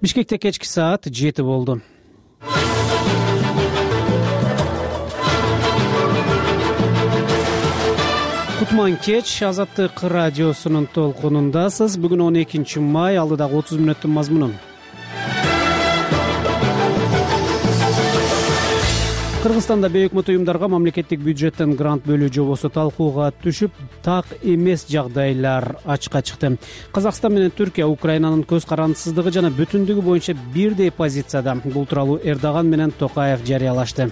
Бишкекте кечки саат 7 болду. Кутман кеч, Азаттык радиосунун толкунундасыз. Бүгүн 12 май, алдыдагы 30 мүнөттүн мазмунун. Кыргызстанда бейөкмөт уюмдарга мамлекеттик бюджеттен грант бөлүү жобосу талкууга түшүп, так эмес жагдайлар ачыкка чыкты. Казакстан менен Түркия Украинанын көз карандысыздыгы жана бүтүндүгү боюнча бирдей позицияда. Бул тууралуу Эрдоган менен Токаев жарыялашты.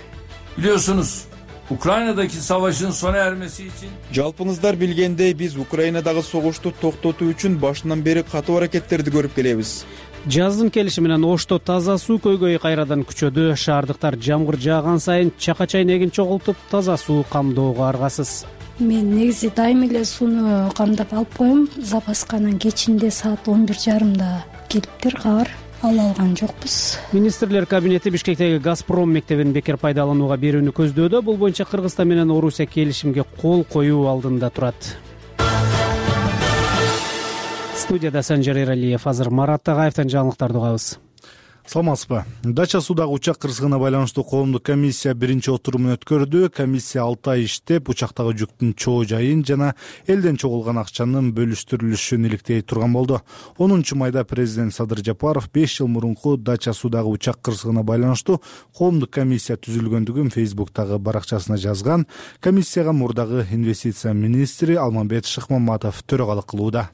Biliyorsunuz, Ukrayna'daki savaşın sona ermesi için Жалпыңыздар билгендей, биз Украинадагы согушту токтотуу үчүн башынан бери катуу аракеттерди көрүп келебиз. Жаздын келиши менен Ошто таза суу көйгөйү кайрадан күчөдү. Шаардыктар жамгыр жааган сайын чака чайнегин чогултуп, таза суу камдоого аргасыз. Мен негизи дайыма эле сууну камдап алып коем. Запаска анан кечинде саат 11:30 келиптир, кабар ала алган жокпуз. Министрлер кабинети Бишкектеги Газпром мектебин бекер пайдаланууга берүүнү көздөөдө. Бул боюнча Кыргызстан менен Орусия келишимге кол коюу алдында турат. Студияда Санжар Эралиев. Азыр Марат Тагаевден жаңылыктарды угабыз. Саламатсызбы. Дача суудагы учак кырсыгына байланыштуу коомдук комиссия биринчи отурумун өткөрдү. Комиссия 6 ай иштеп, учактагы жүктүн чоо жайын жана элден чогулган акчанын бөлүштүрүлүшүн иликтей турган болду. 10 майда президент Садыр Жапаров 5 жыл мурунку Дача суудагы учак кырсыгына байланыштуу коомдук комиссия түзүлгөндүгүн Фейсбуктагы баракчасына жазган. Комиссияга мурдагы инвестиция министри Алмамбет Шыкмаматов төрагалык кылууда.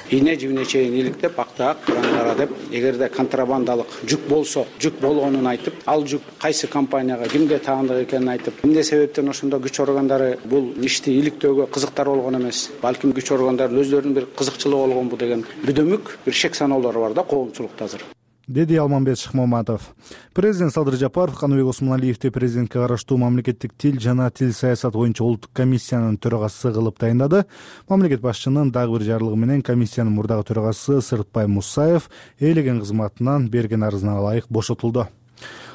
Ийне жибине чейин иликтеп, актаак кара деп, эгерде контрабандалык жүк болсо, жүк болгонун айтып, ал жүк кайсы компанияга, кимге таандык экенин айтып, эмне себептен ошондо күч органдары бул ишти иликтөөгө кызыктар болгон эмес, балким күч органдары өздөрүнүн бир кызыкчылыгы болгонбу деген бүдөмүк бир шек саноолор бар да коомчулукта азыр. Деди Алмамбет Шыкмаматов. Президент Садыр Жапаров Каныбек Осмоналиевди президентке караштуу мамлекеттик тил жана тил саясат боюнча улуттук комиссиянын төрагасы кылып тайындады. Мамлекет башчынын дагы бир жарлыгы менен комиссиянын мурдагы төрагасы Сырытбай Мусаев ээлеген кызматынан берген арызына ылайык бошотулду.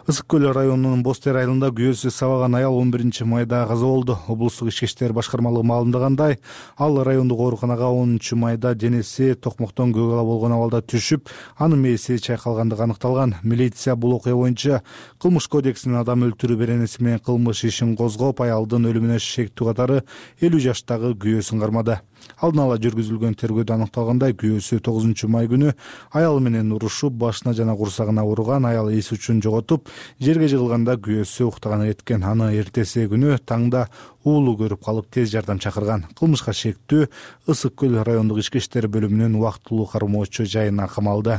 Ысык көл районунун Бостер айылында күйөөсү сабаган аял 11 майда каза болду. Облустук ички иштер башкармалыгы маалымдагандай, ал райондук ооруканага 10 майда денеси токмоктон көк ала болгон абалда түшүп, анын мээси чайкалгандыгы аныкталган. Милиция бул окуя боюнча кылмыш кодексинин адам өлтүрүү беренеси менен кылмыш ишин козгоп, аялдын өлүмүнө шектүү катары 50 жаштагы күйөөсүн кармады. Алдын ала жүргүзүлгөн тергөөдө аныкталгандай, күйөөсү 9 май күнү аялы менен урушуп, башына жана курсагына уруган. Аял эс үчүн жоготуп, жерге жыгылганда күйөөсү уктаганы кеткен. Аны эртеси күнү таңда уулу көрүп калып тез жардам чакырган. Кылмышка шектүү Ысык көл райондук ички иштер бөлүмүнүн убактылуу кармоочу жайына камалды.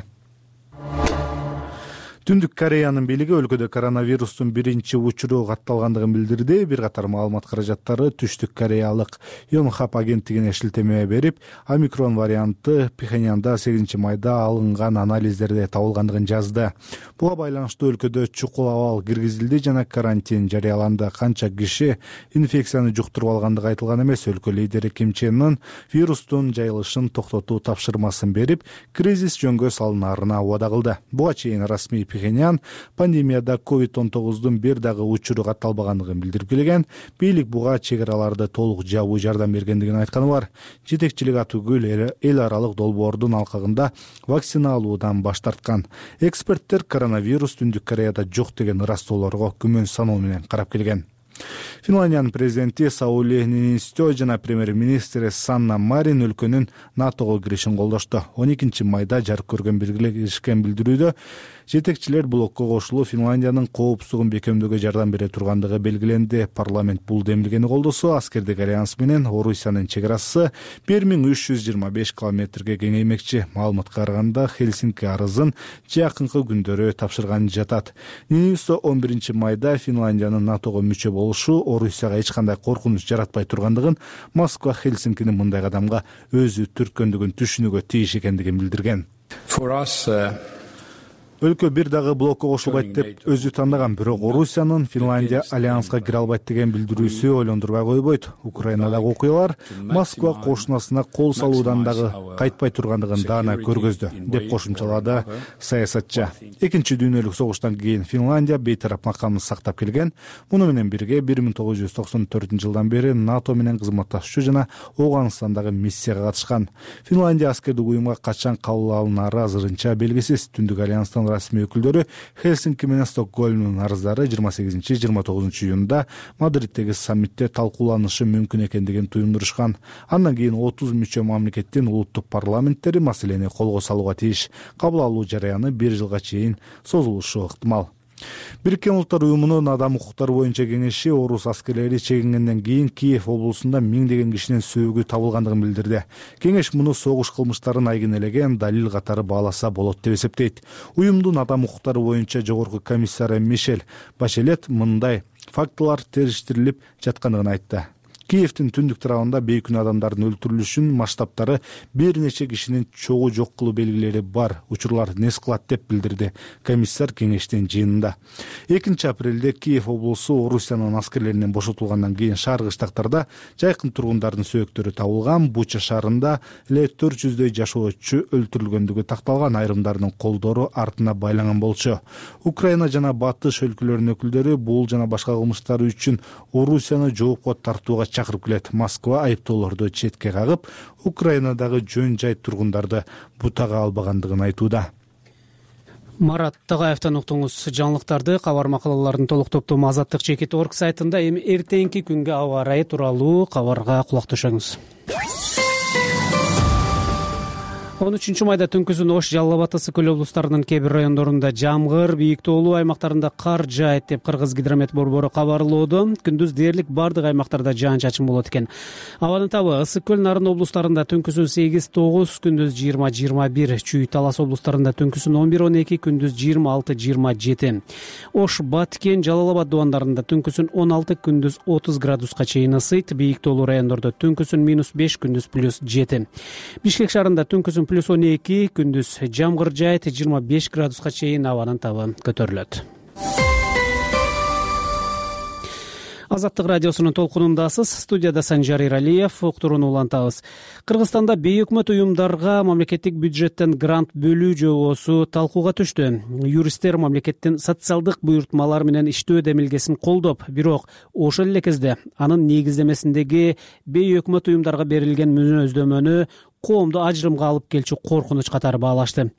Түндүк Кореянын бийлиги өлкөдө коронавирустун биринчи учуру катталгандыгын билдирди. Бир катар маалымат каражаттары Түштүк Кореялык Yonhap агенттигине шилтеме берип, омикрон варианты Пхеньянда 8 майда алынган анализдерде табылгандыгын жазды. Буга байланыштуу өлкөдө чукул абал киргизилди жана карантин жарыяланды. Канча киши инфекцияны жуктуруп алгандыгы айтылган эмес. Өлкө лидери Ким Чен Ын вирустун жайылышын токтотуу тапшырмасын берип, кризис жөнгө салынаарына убада кылды. Буга чейин расмий Пхеньян пандемияда COVID-19 бир дагы учуру катталбагандыгын билдирип келген. Бийлик буга чек араларды толук жабуу жардам бергендигин айтканы бар. Жетекчилик Атүгүл эл аралык долбоордун алкагында вакцина алуудан баш тарткан. Эксперттер коронавирус Түндүк Кореяда жок деген ырастоолорго күмөн саноо менен карап келген. Финляндиянын президенти Саули Ниинистё жана премьер-министри Санна Марин өлкөнүн НАТОго киришин колдошту. 12 майда жарык көргөн биргелешкен билдирүүдө жетекчилер блокко кошулуу Финляндиянын коопсуздугун бекемдөөгө жардам бере тургандыгы белгиленди. Парламент бул демилгени колдосо, аскердик альянс менен Орусиянын чек арасы 1325 километрге кеңеймекчи. Маалыматка караганда Хельсинки арызын жакынкы күндөрү тапшырган жатат. Ниинистё 11 майда Финляндиянын НАТОго мүчө болушу Орусияга эч кандай коркунуч жаратпай тургандыгын, Москва Хельсинкинин мындай кадамга өзү түрткөндүгүн түшүнүүгө тийиш экендигин билдирген. For us, Өлкө бир дагы блокко кошулбайт деп өзү тандаган, бирок Орусиянын Финляндия альянска кире албайт деген билдирүүсү ойлондурбай койбойт. Украинадагы окуялар Москва кошунасына кол салуудан дагы кайтпай тургандыгын даана көргөздү, деп кошумчалады саясатчы. Экинчи дүйнөлүк согуштан кийин Финляндия бейтарап макамын сактап келген. Муну менен бирге 1994-жылдан бери НАТО менен кызматташчу жана Ооганстандагы миссияга катышкан. Финляндия аскердик уюмга качан кабыл алынары азырынча белгисиз. Түндүк альянстын расмий өкүлдөрү Хельсинки менен Стокгольмдун арыздары 28-29 июнда Мадриттеги саммитте талкууланышы мүмкүн экендигин туюндурушкан. Андан кийин 30 мүчө мамлекеттин улуттук парламенттери маселени колго салууга тийиш. Кабыл алуу жараяны 1 жылга чейин созулушу ыктымал. Бириккен Улуттар уюмунун адам укуктары боюнча кеңеши орус аскерлери чегингенден кийин Киев облусунда миңдеген кишинин сөөгү табылгандыгын билдирди. Кеңеш муну согуш кылмыштарын айгинелеген далил катары бааласа болот деп эсептейт. Уюмдун адам укуктары боюнча жогорку комиссары Мишель Башелет мындай фактылар териштирилип жаткандыгын айтты. Киевдин түндүк тарабында бейкүнөө адамдардын өлтүрүлүшүнүн масштабтары бир нече кишинин чогуу жок кылуу белгилери бар. Учурлар нес кылат деп билдирди комиссар кеңештин жыйынында. 2-апрелде Киев облусу Орусиянын аскерлеринен бошотулгандан кийин шаар кыштактарда жайкын тургундардын сөөктөрү табылган. Буча шаарында эле 400дөй жашоочу өлтүрүлгөндүгү такталган, айрымдарынын колдору артына байланган болчу. Украина жана Батыш өлкөлөрүнүн өкүлдөрү бул жана башка кылмыштар үчүн Орусияны жоопко тартууга чакырып келет. Москва айыптоолорду четке кагып, Украинадагы жөн жай тургундарды бутага албагандыгын айтууда. Марат Тагаевтан уктуңуз жаңылыктарды. Кабар макалалардын толук топтому Азаттык.org сайтында. Эми эртеңки күнгө аба ырайы тууралуу кабарга кулак төшөңүз. 13 майда түнкүсүн Ош, Жалал абад, Ысык Көл облустарынын кээ бир райондорунда жамгыр, бийик тоолуу аймактарында кар жаайт деп Кыргыз гидромет борбору кабарлоодо. Күндүз дээрлик бардык аймактарда жаан-чачын болот экен. Абанын табы Ысык Көл, Нарын облустарында түнкүсүн 8-9, күндүз 20-21, Чүй, Талас облустарында түнкүсүн 11-12, күндүз 26-27. Ош, Баткен, Жалал абад дубандарында түнкүсүн 16, күндүз 30 градуска чейин ысыйт. Бийик тоолуу райондордо түнкүсүн -5, күндүз +7. Бишкек шаарында түнкүсүн +12, күндүз жамгыр жаайт, 25 градуска чейин абанын табы көтөрүлөт. Азаттык радиосунун толкунундасыз. Студияда Санжар Иралиев. Уктурууну улантабыз. Кыргызстанда бейөкмөт уюмдарга мамлекеттик бюджеттен грант бөлүү жобосу талкууга түштү. Юристтер мамлекеттин социалдык буйртмалар менен иштөө демилгесин колдоп, бирок ошол эле кезде анын негиздемесиндеги бейөкмөт уюмдарга берилген мүнөздөмөнү коомду ажырымга алып келчү коркунуч катары баалашты.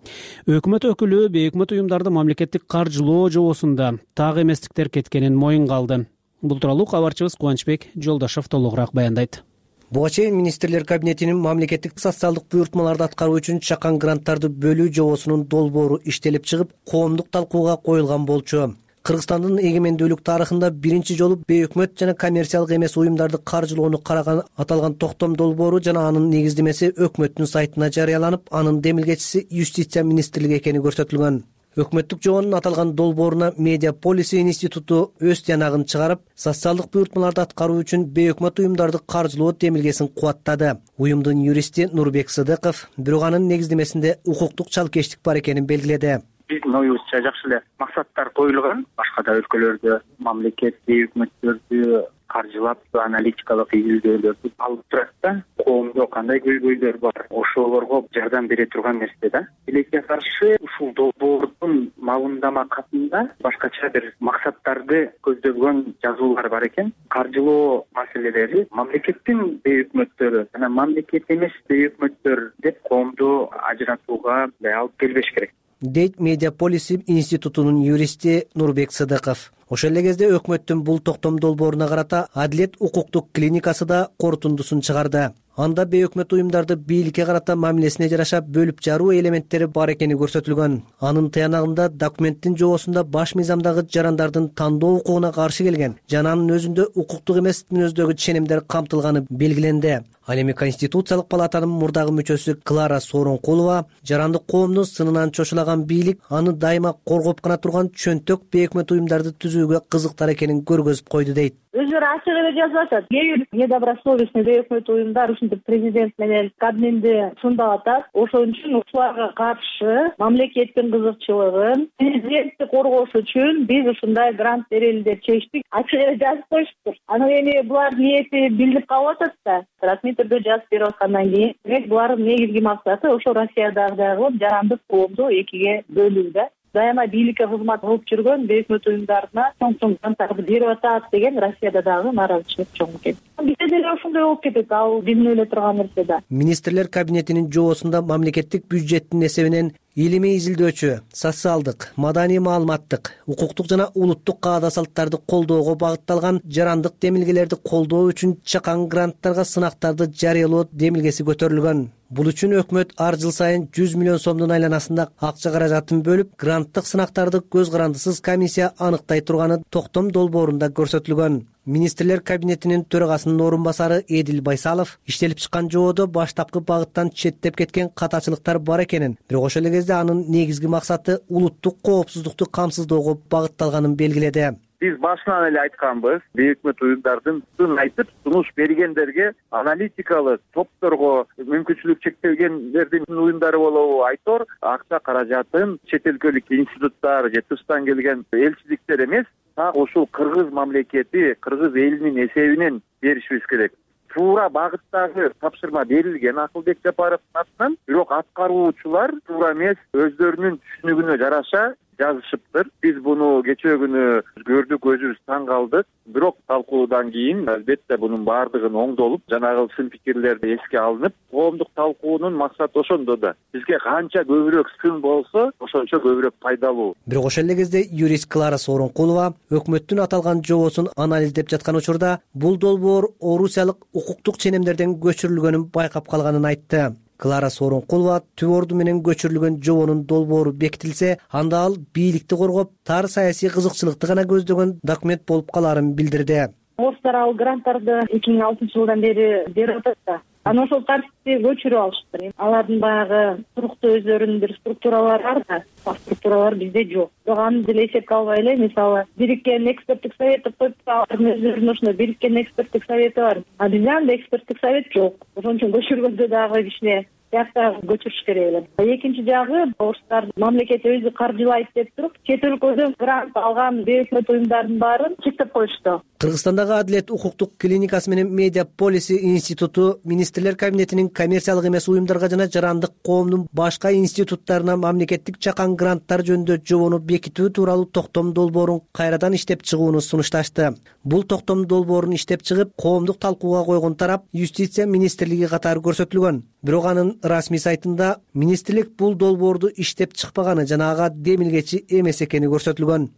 Өкмөт өкүлү бейөкмөт уюмдарды мамлекеттик каржылоо жобосунда так эместиктер кеткенин моюнга алды. Бул тууралуу кабарчыбыз Кубанычбек Жолдошов толугураак баяндайт. Буга чейин министрлер кабинетинин мамлекеттик социалдык буйртмаларды аткаруу үчүн чакан гранттарды бөлүү жобосунун долбоору иштелип чыгып, коомдук талкууга коюлган болчу. Кыргызстандын эгемендүүлүк тарыхында биринчи жолу бейөкмөт жана коммерциялык эмес уюмдарды каржылоону караган аталган токтом долбоору жана анын негиздемеси өкмөттүн сайтына жарыяланып, анын демилгечиси Юстиция министрлиги экени көрсөтүлгөн. Өкмөттүк жобонун аталган долбооруна Медиа Полиси институту өз тыянагын чыгарып, социалдык буйртмаларды аткаруу үчүн бейөкмөт уюмдарды каржылоо демилгесин кубаттады. Уюмдун юристи Нурбек Сыдыков бирок анын негиздемесинде укуктук чалкештик бар экенин белгиледи. Биздин оюбузча жакшы эле максаттар коюлган. Башка да өлкөлөрдө мамлекет бейөкмөттөрдү каржылап аналитикалык изилдөөлөрдү алып турат да, коомдо кандай көйгөйлөр бар, ошолорго жардам бере турган нерсе да. Тилекке каршы ушул долбоордун мамилдама катында башкача бир максаттарды көздөгөн жазуулар бар экен. Каржылоо маселелери мамлекеттин бейөкмөттөрү жана мамлекет эмес бейөкмөттөр деп коомду ажыратууга алып келбеш керек, дейт Медиа Полиси институтунун юристи Нурбек Сыдыков. Ошол эле кезде өкмөттүн бул токтом долбооруна карата Адилет укуктук клиникасы да корутундусун чыгарды. Анда бейөкмөт уюмдарды бийликке карата мамилесине жараша бөлүп жаруу элементтери бар экени көрсөтүлгөн. Анын тыянагында документтин жобосунда баш мыйзамдагы жарандардын тандоо укугуна каршы келген жана анын өзүндө укуктук эмес мүнөздөгү ченемдер камтылганы белгиленди. Ал эми Конституциялык палатанын мурдагы мүчөсү Клара Сооронкулова жарандык коомду сынынан чочулаган бийлик аны дайыма коргоп гана турган чөнтөк бейөкмөт уюмдарды түзүүгө кызыктар экенин көргөзүп койду дейт. Өзүлөрү ачык эле жазып атат. Кээ бир недобросовестный бейөкмөт уюмдар ушундай парламенттик президент менен кабминди сындап атат. Ошон үчүн ушуларга каршы мамлекеттин кызыкчылыгын президентти коргош үчүн биз ушундай грант берели деп чечтик. Ачык эле жазып коюштур. Анан эми булар ниети билинип калып атат да. Расмий түрдө жазып берип аткандан кийин, демек булардын негизги максаты ошо Россиядагы жарандык коомду экиге бөлүү да. Дайыма бийликке кызмат кылып жүргөн бейөкмөт уюмдарына чоң гранттарды берип атат деген Россияда дагы нааразычылык чоң экен. Бизде деле ошондой болуп кетет, ал биздин ойлоп турган нерсе да. Министрлер кабинетинин жобосунда мамлекеттик бюджеттин эсебинен илимий изилдөөчү, социалдык, маданий маалыматтык, укуктук жана улуттук каада салттарды колдоого багытталган жарандык демилгелерди колдоо үчүн чакан гранттарга сынактарды жарыялоо демилгеси көтөрүлгөн. Бул үчүн өкмөт ар жыл сайын 100 миллион сомдун айланасында акча каражатын бөлүп, гранттык сынактарды көз карандысыз комиссия аныктай турганы токтом долбоорунда көрсөтүлгөн. Министрлер кабинетинин төрагасынын орун басары Эдил Байсалов иштелип чыккан жободо баштапкы багыттан четтеп кеткен катачылыктар бар экенин, бирок ошол эле кезде анын негизги максаты улуттук коопсуздукту камсыздоого багытталганын белгиледи. Биз башынан эле айтканбыз, бейөкмөт уюмдардын сын айтып, сунуш бергендерге, аналитикалык топторго, мүмкүнчүлүк чектелгендердин уюмдары болобу айтор, акча каражатын чет өлкөлүк институттар же тыштан келген элчиликтер эмес, так ушул кыргыз мамлекети, кыргыз элинин эсебинен беришибиз керек. Туура багыттагы тапшырма берилген Акылбек Жапаровдун атынан, бирок аткаруучулар туура эмес, өздөрүнүн түшүнүгүнө жараша жазышыптыр. Биз буну кечээ күнү көрдүк, өзүбүз таң калдык. Бирок талкуудан кийин албетте бунун баардыгын оңдолуп, жанагы сын пикирлерди эске алынып, коомдук талкуунун максаты ошондо да. Бизге канча көбүрөөк сын болсо, ошончо көбүрөөк пайдалуу. Бирок ошол эле кезде юрист Клара Сооронкулова өкмөттүн аталган жобосун анализдеп жаткан учурда бул долбоор орусиялык укуктук ченемдерден көчүрүлгөнүн байкап калганын айтты. Клара Сооронкулова түп орду менен көчүрүлгөн жобонун долбоору бекитилсе, анда ал бийликти коргоп, тар саясий кызыкчылыкты гана көздөгөн документ болуп каларын билдирди. Орустар ал гранттарды 2006 жылдан бери берип атат да. Анан ошол тартипти көчүрүп алыштыр. Алардын баягы туруктуу өздөрүнүн бир структуралары бар да, ал структуралар бизде жок. Бирок аны деле эсепке албай эле, мисалы, бириккен эксперттик совет деп коюп, алардын өздөрүнүн ушундай бириккен эксперттик совети бар. А бизде андай эксперттик совет жок. Ошон үчүн көчүргөндө дагы кичине биякта көчүрүш керек эле. Экинчи жагы, орустар мамлекет өзү каржылайт деп туруп, чет өлкөдөн грант алган бейөкмөт уюмдардын баарын чектеп коюшту. Кыргызстандагы Адилет укуктук клиникасы менен Медиа Полиси институту Министрлер кабинетинин коммерциялык эмес уюмдарга жана жарандык коомдун башка институттарына мамлекеттик чакан гранттар жөнүндө жобону бекитүү тууралуу токтом долбоорун кайрадан иштеп чыгууну сунушташты. Бул токтом долбоорун иштеп чыгып, коомдук талкууга койгон тарап Юстиция министрлиги катары көрсөтүлгөн. Бирок анын расмий сайтында министрлик бул долбоорду иштеп чыкпаганы жана ага демилгечи эмес экени көрсөтүлгөн.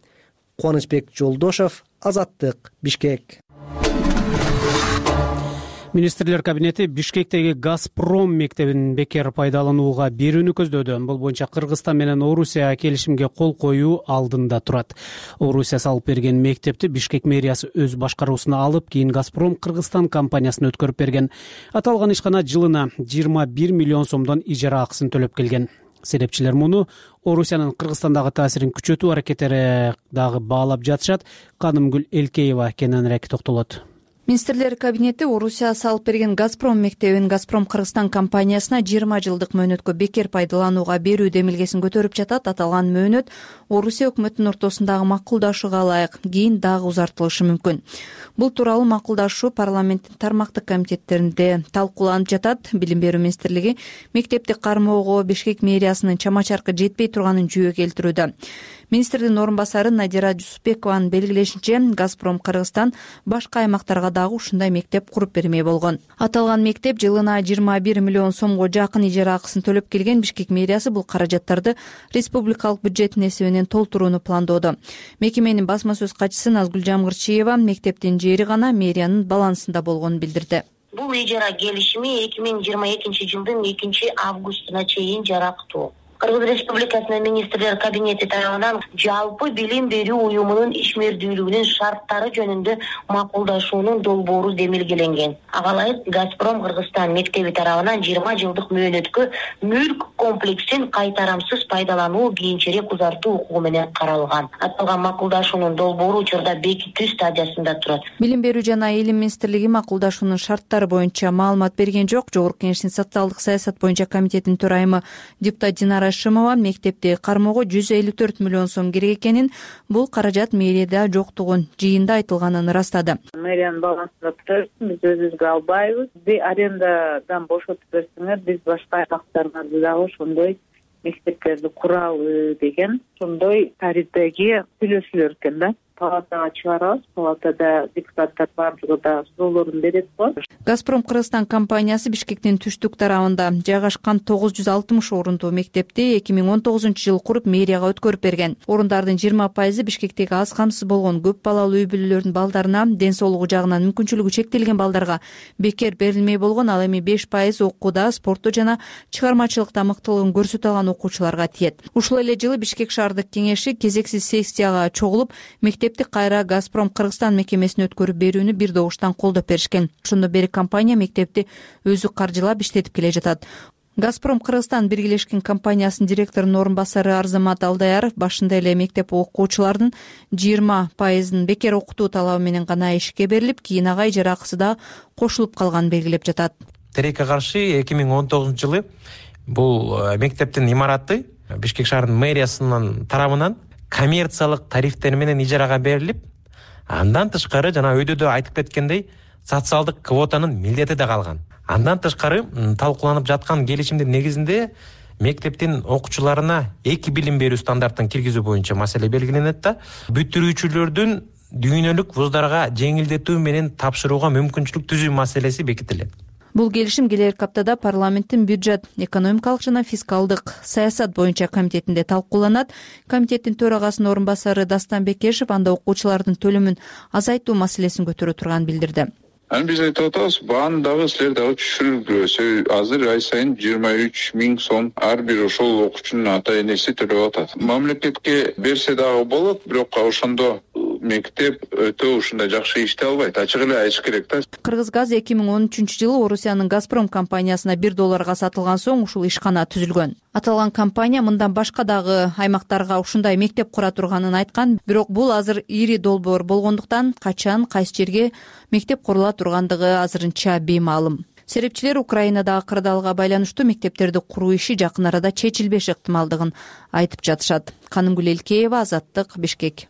Кубанычбек Жолдошов, Азаттык, Бишкек. Министрлер кабинети Бишкектеги Газпром мектебин бекер пайдаланууга берүүнү көздөөдө. Бул боюнча Кыргызстан менен Орусия келишимге кол коюу алдында турат. Орусия салып берген мектепти Бишкек мэриясы өз башкаруусуна алып, кийин Газпром Кыргызстан компаниясына өткөрүп берген. Аталган ишкана жылына 21 миллион сомдон ижара акысын төлөп келген. Серепчилер муну Орусиянын Кыргызстандагы таасирин күчөтүү аракеттери дагы баалап жатышат. Канымгүл Элкеева кененирээк токтолот. Министрлер кабинети Орусия салып берген Газпром мектебин Газпром Кыргызстан компаниясына 20 жылдык мөөнөткө бекер пайдаланууга берүү демилгесин көтөрүп жатат. Аталган мөөнөт Орусия өкмөтүнүн ортосундагы макулдашууга ылайык, кийин дагы узартылышы мүмкүн. Бул тууралуу макулдашуу парламенттин тармактык комитеттеринде талкууланып жатат. Билим берүү министрлиги мектепти кармоого Бишкек мэриясынын чама-чаркы жетпей турганын жүйө келтирүүдө. Министрдин орун басары Надира Жусупбекованын белгилешинче, Газпром Кыргызстан башка аймактарга дагы ушундай мектеп куруп бермей болгон. Аталган мектеп жылына 21 миллион сомго жакын ижара акысын төлөп келген. Бишкек мэриясы бул каражаттарды республикалык бюджеттин эсебинен толтурууну пландоодо. Мекеменин басма сөз катчысы Назгүл Жамгырчиева мектептин жери гана мэриянын балансында болгонун билдирди. Бул ижара келишими 2022 жылдын 2 августуна чейин жарактуу. Кыргыз Республикасынын министрлер кабинети тарабынан жалпы билим берүү уюмунун ишмердүүлүгүнүн шарттары жөнүндө макулдашуунун долбоору демилгеленген. Ага ылайык Газпром Кыргызстан мектеби тарабынан 20 жылдык мөөнөткө мүлк комплексин кайтарамсыз пайдалануу кийинчерээк узартуу укугу менен каралган. Аталган макулдашуунун долбоору учурда бекитүү стадиясында турат. Билим берүү жана илим министрлиги макулдашуунун шарттары боюнча маалымат берген жок. Жогорку Кеңештин социалдык саясат боюнча комитетинин төрайымы депутат Динара Шымова мектепти кармоого 154 миллион сом керек экенин, бул каражат мэрияда жоктугун жыйында айтылганын ырастады. Мэриянын балансында турат, биз өзүбүзгө албайбыз. Арендадан бошотуп берсеңер, биз башка аймактарда дагы ошондой мектептерди куралы деген ошондой тарифтеги сүйлөшүлөр экен да. Палатага чыгарабыз, палатада депутаттар баардыгы да суроолорун берет го. Газпром Кыргызстан компаниясы Бишкектин түштүк тарабында жайгашкан 960 орундуу мектепти 2019-жылы куруп мэрияга өткөрүп берген. Орундардын 20% Бишкектеги аз камсыз болгон көп балалуу үй бүлөлөрүнүн балдарына, ден соолугу жагынан мүмкүнчүлүгү чектелген балдарга бекер берилмей болгон, ал эми 5% окууда, спортто жана чыгармачылыкта мыктылыгын көрсөтө алган окуучуларга тиет. Ушул эле жылы Бишкек шаардык кеңеши кезексиз сессияга чогулуп, мектепти кайра Газпром Кыргызстан мекемесине өткөрүп берүүнү бир добуштан колдоп беришкен. Ошондон бери компания мектепти өзү каржылап иштетип келе жатат. Газпром Кыргызстан биргелешкен компаниясынын директорунун орун басары Арзамат Алдаяров башында эле мектеп окуучулардын 20% бекер окутуу талабы менен гана ишке берилип, кийин ага ижара акысы да кошулуп калганын белгилеп жатат. Тилекке каршы 2019-жылы бул мектептин имараты Бишкек шаарынын мэриясынын тарабынан коммерциялык тарифтер менен ижарага берилип, андан тышкары жана өйдө айтып кеткендей социалдык квотанын милдети да калган. Андан тышкары талкууланып жаткан келишимдин негизинде мектептин окуучуларына 2 билим берүү стандартын киргизүү боюнча маселе белгиленет да, бүтүрүүчүлөрдүн дүйнөлүк вуздарга жеңилдетүү менен тапшырууга мүмкүнчүлүк түзүү маселеси бекитилет. Бул келишим келерки аптада парламенттин бюджет, экономикалык жана фискалдык саясат боюнча комитетинде талкууланат. Комитеттин төрагасынын орун басары Дастан Бекешев анда окуучулардын төлөмүн азайтуу маселесин көтөрө турганын билдирди. Биз айтып атабыз, бааны дагы силер дагы түшүрүлбөсө, азыр ай сайын 23 000 сом ар бир ошол окуучунун ата энеси төлөп атат. Мамлекетке берсе дагы болот, бирок ошондо мектеп өтө ушундай жакшы иштей албайт. Ачык эле айтыш керек да. Кыргызгаз 2013-жылы Орусиянын Газпром компаниясына $1 сатылган соң ушул ишкана түзүлгөн. Аталган компания мындан башка дагы аймактарга ушундай мектеп кура турганын айткан, бирок бул азыр ири долбоор болгондуктан качан, кайсы жерге мектеп курула тургандыгы азырынча беймаалым. Серепчилер Украинадагы кырдаалга байланыштуу мектептерди куруу иши жакын арада чечилбеш ыктымалдыгын айтып жатышат. Канымгүл Элкеева, Азаттык, Бишкек.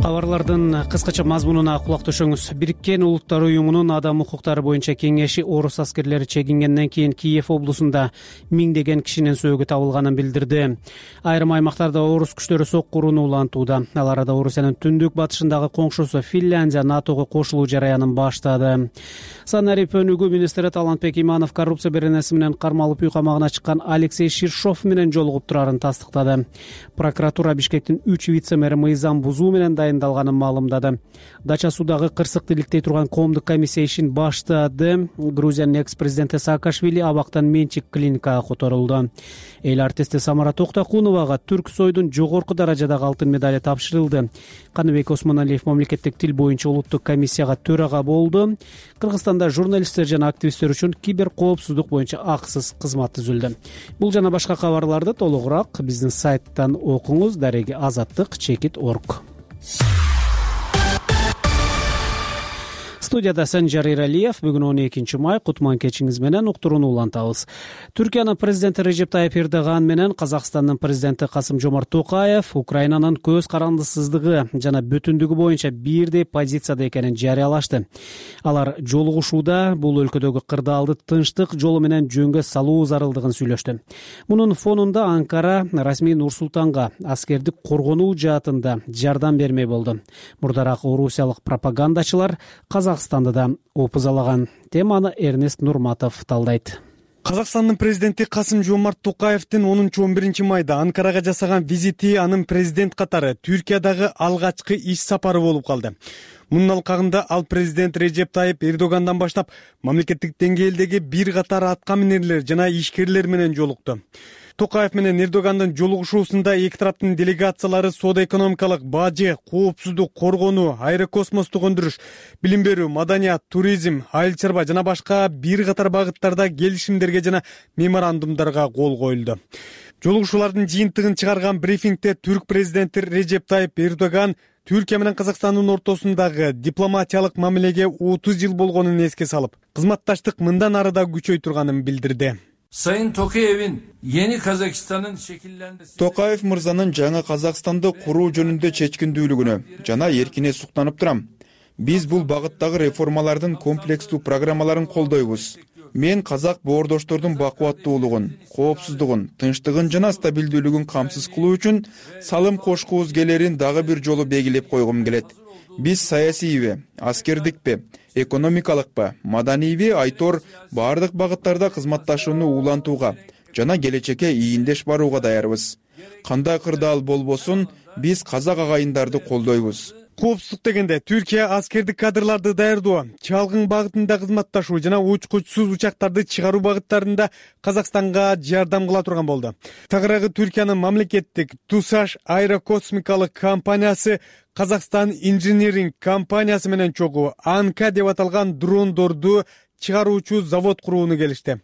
Кабарлардын кыскача мазмунуна кулак төшөңүз. Бириккен Улуттар уюмунун адам укуктары боюнча кеңеши орус аскерлери чегингенден кийин Киев облусунда миңдеген кишинин сөөгү табылганын билдирди. Айрым аймактарда орус күчтөрү сокку урууну улантууда. Ал арада Орусиянын түндүк батышындагы коңшусу Финляндия НАТОго кошулуу жараянын баштады. Санарип өнүгүү министри Талантбек Иманов коррупция беренеси менен кармалып үй камагына чыккан Алексей Ширшов менен жолугуп турарын тастыктады. Прокуратура Бишкектин 3 вице-мэри мыйзам бузуу менен дайындалганын маалымдады. Дача судагы кырсыкты иликтей турган коомдук комиссия ишин баштады. Грузиянын экс-президенти Саакашвили абактан менчик клиникага которулду. Эл артисти Самара Токтокуновага Түрк Сойдун жогорку даражадагы алтын медали тапшырылды. Каныбек Осмоналиев мамлекеттик тил боюнча улуттук комиссияга төрага болду. Кыргызстанда журналисттер жана активисттер үчүн кибер коопсуздук боюнча акысыз кызмат түзүлдү. Бул жана башка кабарларды толугураак биздин сайттан окуңуз. Дареги Азаттык.org. Студияда Санжар Иралиев. Бүгүн 12 май, кутман кечиңиз менен уктурууну улантабыз. Түркиянын президенти Режеп Тайып Эрдоган менен Казакстандын президенти Касым-Жомарт Токаев Украинанын көз карандысыздыгы жана бүтүндүгү боюнча бирдей позицияда экенин жарыялашты. Алар жолугушууда бул өлкөдөгү кырдаалды тынчтык жолу менен жөнгө салуу зарылдыгын сүйлөштү. Мунун фонунда Анкара расмий Нур-Султанга аскердик коргонуу жаатында жардам бермей болду. Мурдараак орусиялык пропагандачылар Казакстанды да опузалаган. Теманы Эрнест Нурматов талдайт. Казакстандын президенти Касым-Жомарт Токаевдин 10-11 майда Анкарага жасаган визити анын президент катары Түркиядагы алгачкы иш сапары болуп калды. Мунун алкагында ал президент Режеп Тайип Эрдогандан баштап мамлекеттик деңгээлдеги бир катар атка минерлер жана ишкерлер менен жолукту. Токаев менен Эрдогандын жолугушуусунда эки тараптын делегациялары соода-экономикалык, бажы, коопсуздук, коргонуу, аэрокосмостук өндүрүш, билим берүү, маданият, туризм, айыл чарба жана башка бир катар багыттарда келишимдерге жана меморандумдарга кол коюлду. Жолугушуулардын жыйынтыгын чыгарган брифингде түрк президенти Режеп Тайип Эрдоган Түркия менен Казакстандын ортосундагы дипломатиялык мамилеге 30 жыл болгонун эске салып, кызматташтык мындан ары да күчөй турганын билдирди. Sayın Tokayev'in yeni Kazakistan'ın şekillenmesi... Токаев мырзанын жаңы Казакстанды куруу жөнүндө чечкиндүүлүгүнө жана эркине суктанып турам. Биз бул багыттагы реформалардын комплекстүү программаларын колдойбуз. Мен казак боордоштордун бакубаттуулугун, коопсуздугун, тынчтыгын жана стабилдүүлүгүн камсыз кылуу үчүн салым кошкубуз келерин дагы бир жолу белгилеп койгум келет. Биз саясийби, аскердикпи, экономикалыкпы, маданийби айтор бардык багыттарда кызматташууну улантууга жана келечекке ийиндеш барууга даярбыз. Кандай кырдаал болбосун, биз казак агайындарды колдойбуз. Коопсуздук дегенде Түркия аскердик кадрларды даярдоо, чалгын багытында кызматташуу жана учкучсуз учактарды чыгаруу багыттарында Казакстанга жардам кыла турган болду. Тагыраагы Түркиянын мамлекеттик Тусаш аэрокосмикалык компаниясы Казакстан инжиниринг компаниясы менен чогуу Анка деп аталган дрондорду чыгаруучу завод курууну келишти.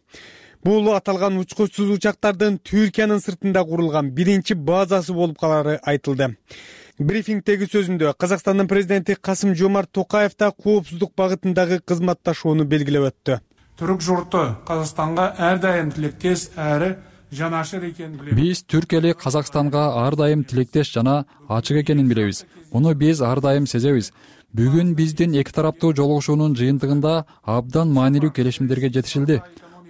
Бул аталган учкучсуз учактардын Түркиянын сыртында курулган биринчи базасы болуп калары айтылды. Брифингдеги сөзүндө Казакстандын президенти Касым-Жомарт Токаев да коопсуздук багытындагы кызматташууну белгилеп өттү. Түрк журту Казакстанга ар дайым тилектеш әрі жанашыр экенин билебиз. Биз Түркиялык Казакстанга ар дайым тилектеш жана ачык экенин билебиз. Муну биз ар дайым сезебиз. Бүгүн биздин эки тараптуу жолугушуунун жыйынтыгында абдан маанилүү келишимдерге жетишилди.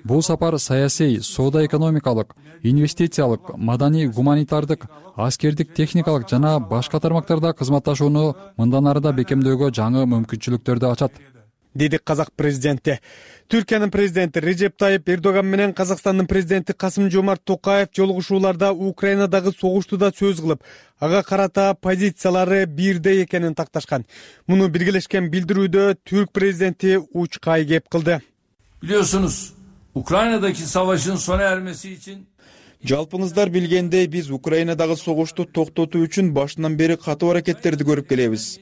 Бул сапар саясий, соода-экономикалык, инвестициялык, маданий, гуманитардык, аскердик, техникалык жана башка тармактарда кызматташууну мындан ары да бекемдөөгө жаңы мүмкүнчүлүктөрдү ачат, деди казак президенти. Түркиянын президенти Режеп Тайип Эрдоган менен Казакстандын президенти Касым-Жомарт Токаев жолугушууларда Украинадагы согушту да сөз кылып, ага карата позициялары бирдей экенин такташкан. Муну биргелешкен билдирүүдө түрк президенти учкай кеп кылды. Biliyorsunuz, Ukrayna'daki savaşın sona ermesi için Жалпыңыздар билгендей, биз Украинадагы согушту токтотуу үчүн башынан бери катуу аракеттерди көрүп келебиз.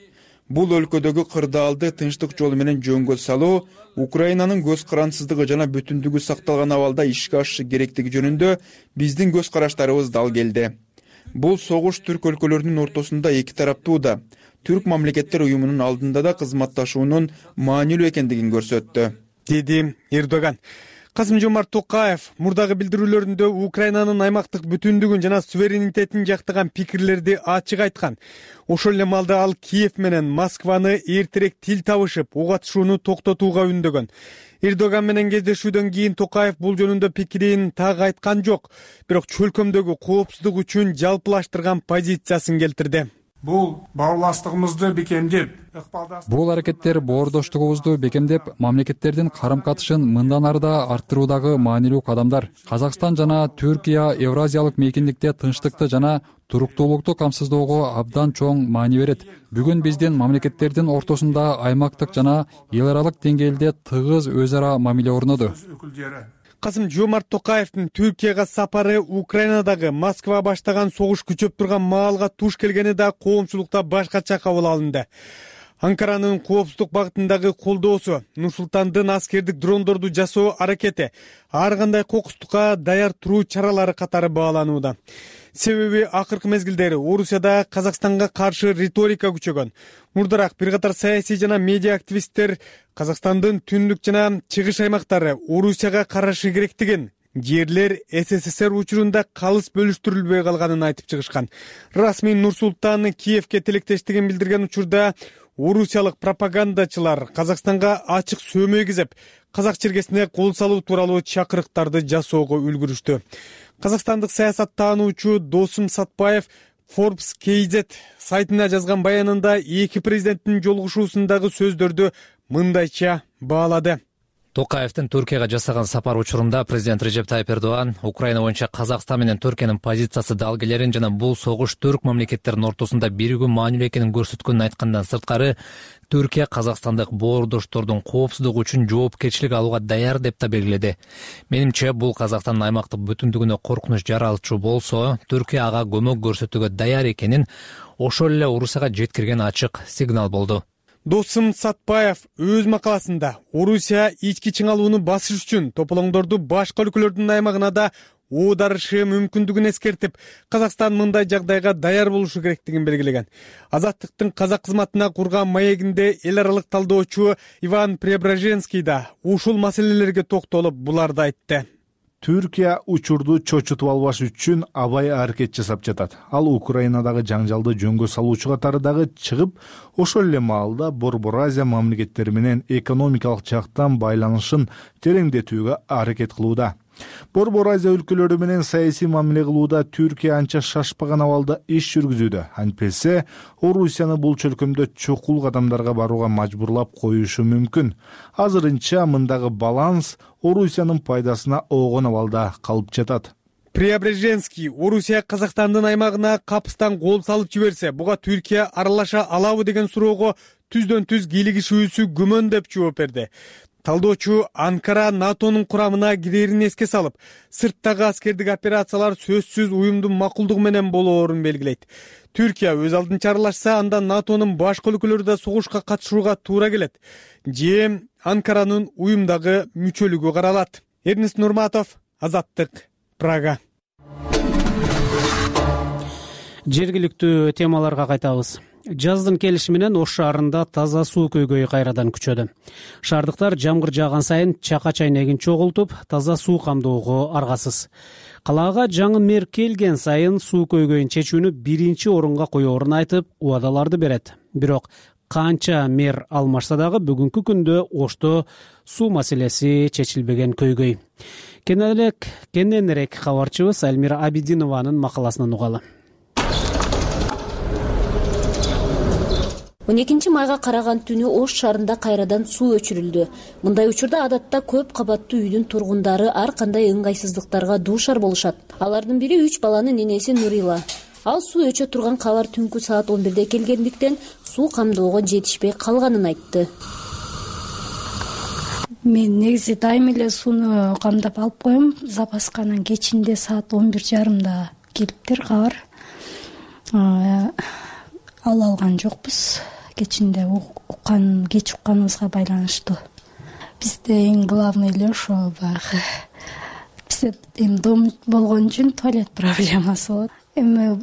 Бул өлкөдөгү кырдаалды тынчтык жолу менен жөнгө салуу, Украинанын көз карансыздыгы жана бүтүндүгү сакталган абалда ишке ашышы керектиги жөнүндө биздин көз караштарыбыз дал келди. Бул согуш түрк өлкөлөрүнүн ортосунда эки тараптуу да, түрк мамлекеттер уюмунун алдында да кызматташуунун маанилүү экендигин көрсөттү, деди Эрдоган. Касым-Жомарт Токаев мурдагы билдирүүлөрүндө Украинанын аймактык бүтүндүгүн жана суверенитетин жактаган пикирлерди ачык айткан. Ошол эле маалда ал Киев менен Москваны эртерээк тил табышып, ок атышууну токтотууга үндөгөн. Эрдоган менен кездешүүдөн кийин Токаев бул жөнүндө пикирин так айткан жок, бирок чөлкөмдөгү коопсуздук үчүн жалпылаштырган позициясын келтирди. Бул баарлаштыгыбызды бекемдеп, бул аракеттер боордоштугубузду бекемдеп, мамлекеттердин карым-катышын мындан ары да арттыруудагы маанилүү кадамдар. Казакстан жана Түркия Евразиялык мейкиндикте тынчтыкты жана туруктуулукту камсыздоого абдан чоң маани берет. Бүгүн биздин мамлекеттердин ортосунда аймактык жана эл аралык деңгээлде тыгыз өз ара мамиле орноду. Касым-Жомарт Токаевдин Түркияга сапары Украинадагы Москва баштаган согуш күчөп турган маалга туш келгени да коомчулукта башкача кабыл алынды. Анкаранын коопсуздук багытындагы колдоосу, Нур-Султандын аскердик дрондорду жасоо аракети, ар кандай кокустукка даяр туруу чаралары катары бааланууда. Себеби акыркы мезгилдери Орусияда Казакстанга каршы риторика күчөгөн. Мурдараак бир катар саясий жана медиа активисттер Казакстандын түндүк жана чыгыш аймактары Орусияга карашы керектигин, жерлер СССР учурунда калыс бөлүштүрүлбөй калганын айтып чыгышкан. Расмий Нур-Султан Киевке тилектештигин билдирген учурда орусиялык пропагандачылар Казакстанга ачык сөөмөй кизеп, казак чиркесине кол салуу тууралуу чакырыктарды жасоого үлгүрүштү. Казакстандык саясаттаануучу Досум Сатпаев Forbes KZ сайтына жазган баянында эки президенттин жолугушуусундагы сөздөрдү мындайча баалады. Токаевдин Түркияга жасаган сапар учурунда президент Режеп Тайип Эрдоган Украина боюнча Казакстан менен Түркиянын позициясы дал келерин жана бул согуш түрк мамлекеттеринин ортосунда биригүү маанилүү экенин көрсөткөнүн айткандан сырткары, Түркия казакстандык боордоштордун коопсуздугу үчүн жоопкерчилик алууга даяр деп да белгиледи. Менимче, бул Казакстандын аймактык бүтүндүгүнө коркунуч жаралчу болсо, Түркия ага көмөк көрсөтүүгө даяр экенин ошол эле Орусияга жеткирген ачык сигнал болду. Досым Сатпаев өз макаласында Орусия ички чыңалууну басыш үчүн тополоңдорду башка өлкөлөрдүн аймагына да оодарышы мүмкүндүгүн эскертип, Казакстан мындай жагдайга даяр болушу керектигин белгилеген. Азаттыктын казак кызматына курган маегинде эл аралык талдоочу Иван Преображенский да ушул маселелерге токтолуп буларды айтты. Түркия учурду чочутуп албаш үчүн абай аракет жасап жатат. Ал Украинадагы жаңжалды жөнгө салуучу катары дагы чыгып, ошол эле маалда Борбор Азия мамлекеттери менен экономикалык жактан байланышын тереңдетүүгө аракет кылууда. Борбор Азия өлкөлөрү менен саясий мамиле кылууда Түркия анча шашпаган абалда иш жүргүзүүдө. Антпесе, Орусияны бул чөлкөмдө чокул кадамдарга барууга мажбурлап коюшу мүмкүн. Азырынча мындагы баланс Орусиянын пайдасына оогон абалда калып жатат. Преображенский Орусия Казакстандын аймагына капыстан кол салып жиберсе, буга Түркия аралаша алабы деген суроого түздөн-түз кийлигишүүсү күмөн деп жооп берди. Талдоочу Анкара НАТОнун курамына кирерин эске салып, сырттагы аскердик операциялар сөзсүз уюмдун макулдугу менен болоорун белгилейт. Түркия өз алдынча аралашса, анда НАТОнун башка өлкөлөрү да согушка катышууга туура келет. Же Анкаранын уюмдагы мүчөлүгү каралат. Эрнест Нурматов, Азаттык, Прага. Жергиликтүү темаларга кайтабыз. Жаздын келиши менен Ош шаарында таза суу көйгөйү кайрадан күчөдү. Шаардыктар жамгыр жааган сайын чака чайнегин чогултуп, таза суу камдоого аргасыз. Калаага жаңы мэр келген сайын суу көйгөйүн чечүүнү биринчи орунга коёорун айтып, убадаларды берет. Бирок канча мэр алмашса дагы бүгүнкү күндө Ошто суу маселеси чечилбеген көйгөй. Кененирээк кабарчыбыз Элмира Абидинованын макаласынан угалы. 12 майга караган түнү Ош шаарында кайрадан суу өчүрүлдү. Мындай учурда адатта көп кабаттуу үйдүн тургундары ар кандай ыңгайсыздыктарга дуушар болушат. Алардын бири 3 баланын энеси Нурила. Ал суу өчө турган кабар түнкү саат 11де келгендиктен суу камдоого жетишпей калганын айтты. Мен негизи дайым эле сууну камдап алып коем. Запасканын кечинде саат 11:30 келиптир кабар. Ала алган жокпуз. Кечинде кеч укканыбызга байланыштуу. Бизде эң главный эле ошо баягы. Бизде эми дом болгон үчүн туалет проблемасы болот. Эми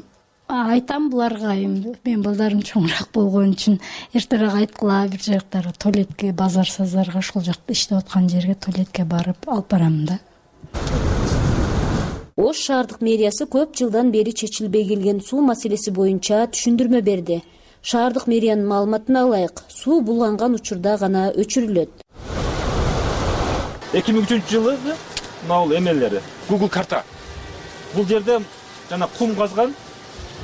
айтам буларга, мен балдарым чоңураак болгон үчүн эртерээк айткыла, бир жактары туалетке базар-сазарга ошол жакта иштеп аткан жерге туалетке барып алып барам да. Ош шаардык мэриясы көп жылдан бери чечилбей келген суу маселеси боюнча түшүндүрмө берди. Шаардык мэриянын маалыматына ылайык, суу булганган учурда гана өчүрүлөт. 2003-жылы бул эмелери Google карта. Бул жерде жана кум казган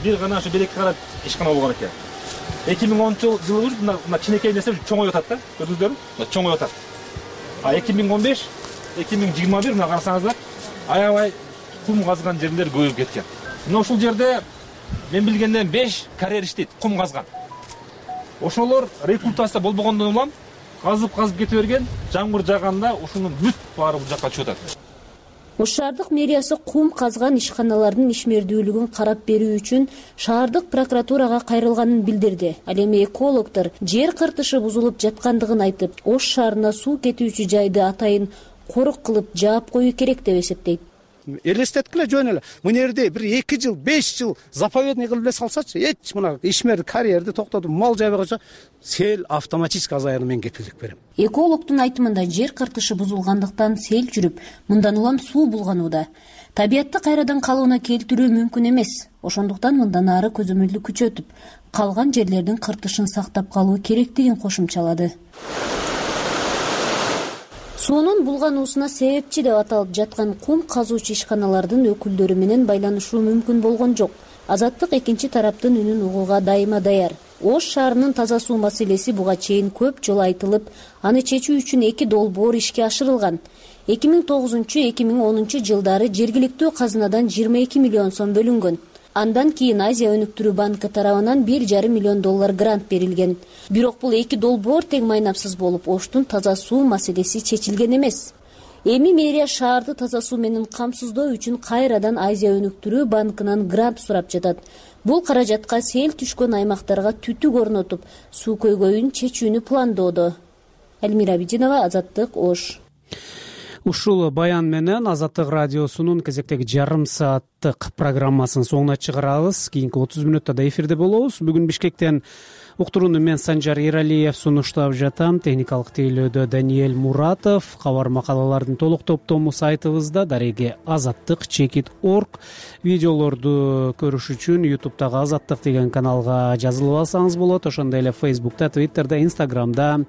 бир гана ошо белекке карап ишкана болгон экен. 2010-жылы мына кичинекей нерсе чоңоюп атат да, көрдүңүздөрбү? Чоңоюп атат. А 2015, 2021 мына карасаңыздар, аябай кум казган жерлер көбөйүп кеткен. Мына ушул жерде мен билгенден 5 карьер иштейт, кум казган. Ошолор рекультация болбогондон улам казып кете берген, жамгыр жааганда ушунун бүт баары бул жакка чыгып атат. Ош шаардык мэриясы кум казган ишканалардын ишмердүүлүгүн карап берүү үчүн шаардык прокуратурага кайрылганын билдирди. Ал эми экологдор жер кыртышы бузулуп жаткандыгын айтып, Ош шаарына суу кетүүчү жайды атайын корук кылып жаап коюу керек деп эсептейт. Элестеткиле жөн эле. Мына жерде бир 2 жыл, 5 жыл заповедный кылып эле салсачы, эч мына ишмер карьерди токтотуп мал жайбай койсо, сел автоматически азаярына мен кепилдик берем. Экологдун айтымында жер кыртышы бузулгандыктан сел жүрүп, мындан улам суу булганууда. Табиятты кайрадан калыбына келтирүү мүмкүн эмес. Ошондуктан мындан ары көзөмөлдү күчөтүп, калган жерлердин кыртышын сактап калуу керектигин кошумчалады. Суунун булгануусуна себепчи деп аталып жаткан кум казуучу ишканалардын өкүлдөрү менен байланышуу мүмкүн болгон жок. Азаттык экинчи тараптын үнүн угууга дайыма даяр. Ош шаарынын таза суу маселеси буга чейин көп жолу айтылып, аны чечүү үчүн 2 долбоор ишке ашырылган. 2009-2010 жылдары жергиликтүү казынадан 22 миллион сом бөлүнгөн. Андан кийин Азия өнүктүрүү банкы тарабынан $1,5 миллион грант берилген. Бирок бул 2 долбоор тең майнапсыз болуп, Оштун таза суу маселеси чечилген эмес. Эми мэрия шаарды таза суу менен камсыздоо үчүн кайрадан Азия өнүктүрүү банкынан грант сурап жатат. Бул каражатка сел түшкөн аймактарга түтүк орнотуп, суу көйгөйүн чечүүнү пландоодо. Элмира Абидинова, Азаттык, Ош. Ушул баян менен Азаттык радиосунун кезектеги жарым сааттык программасын соңуна чыгарабыз. Кийинки 30 мүнөттө да эфирде болобуз. Бүгүн Бишкектен уктурууну мен Санжар Эралиев сунуштап жатам. Техникалык тейлөөдө Даниэль Муратов. Кабар макалалардын толук топтому сайтыбызда daregi-azattik.org. Видеолорду көрүш үчүн YouTube'дагы Азаттык деген каналга жазылып алсаңыз болот. Ошондой эле Facebook'та, Twitter'да, Instagram'да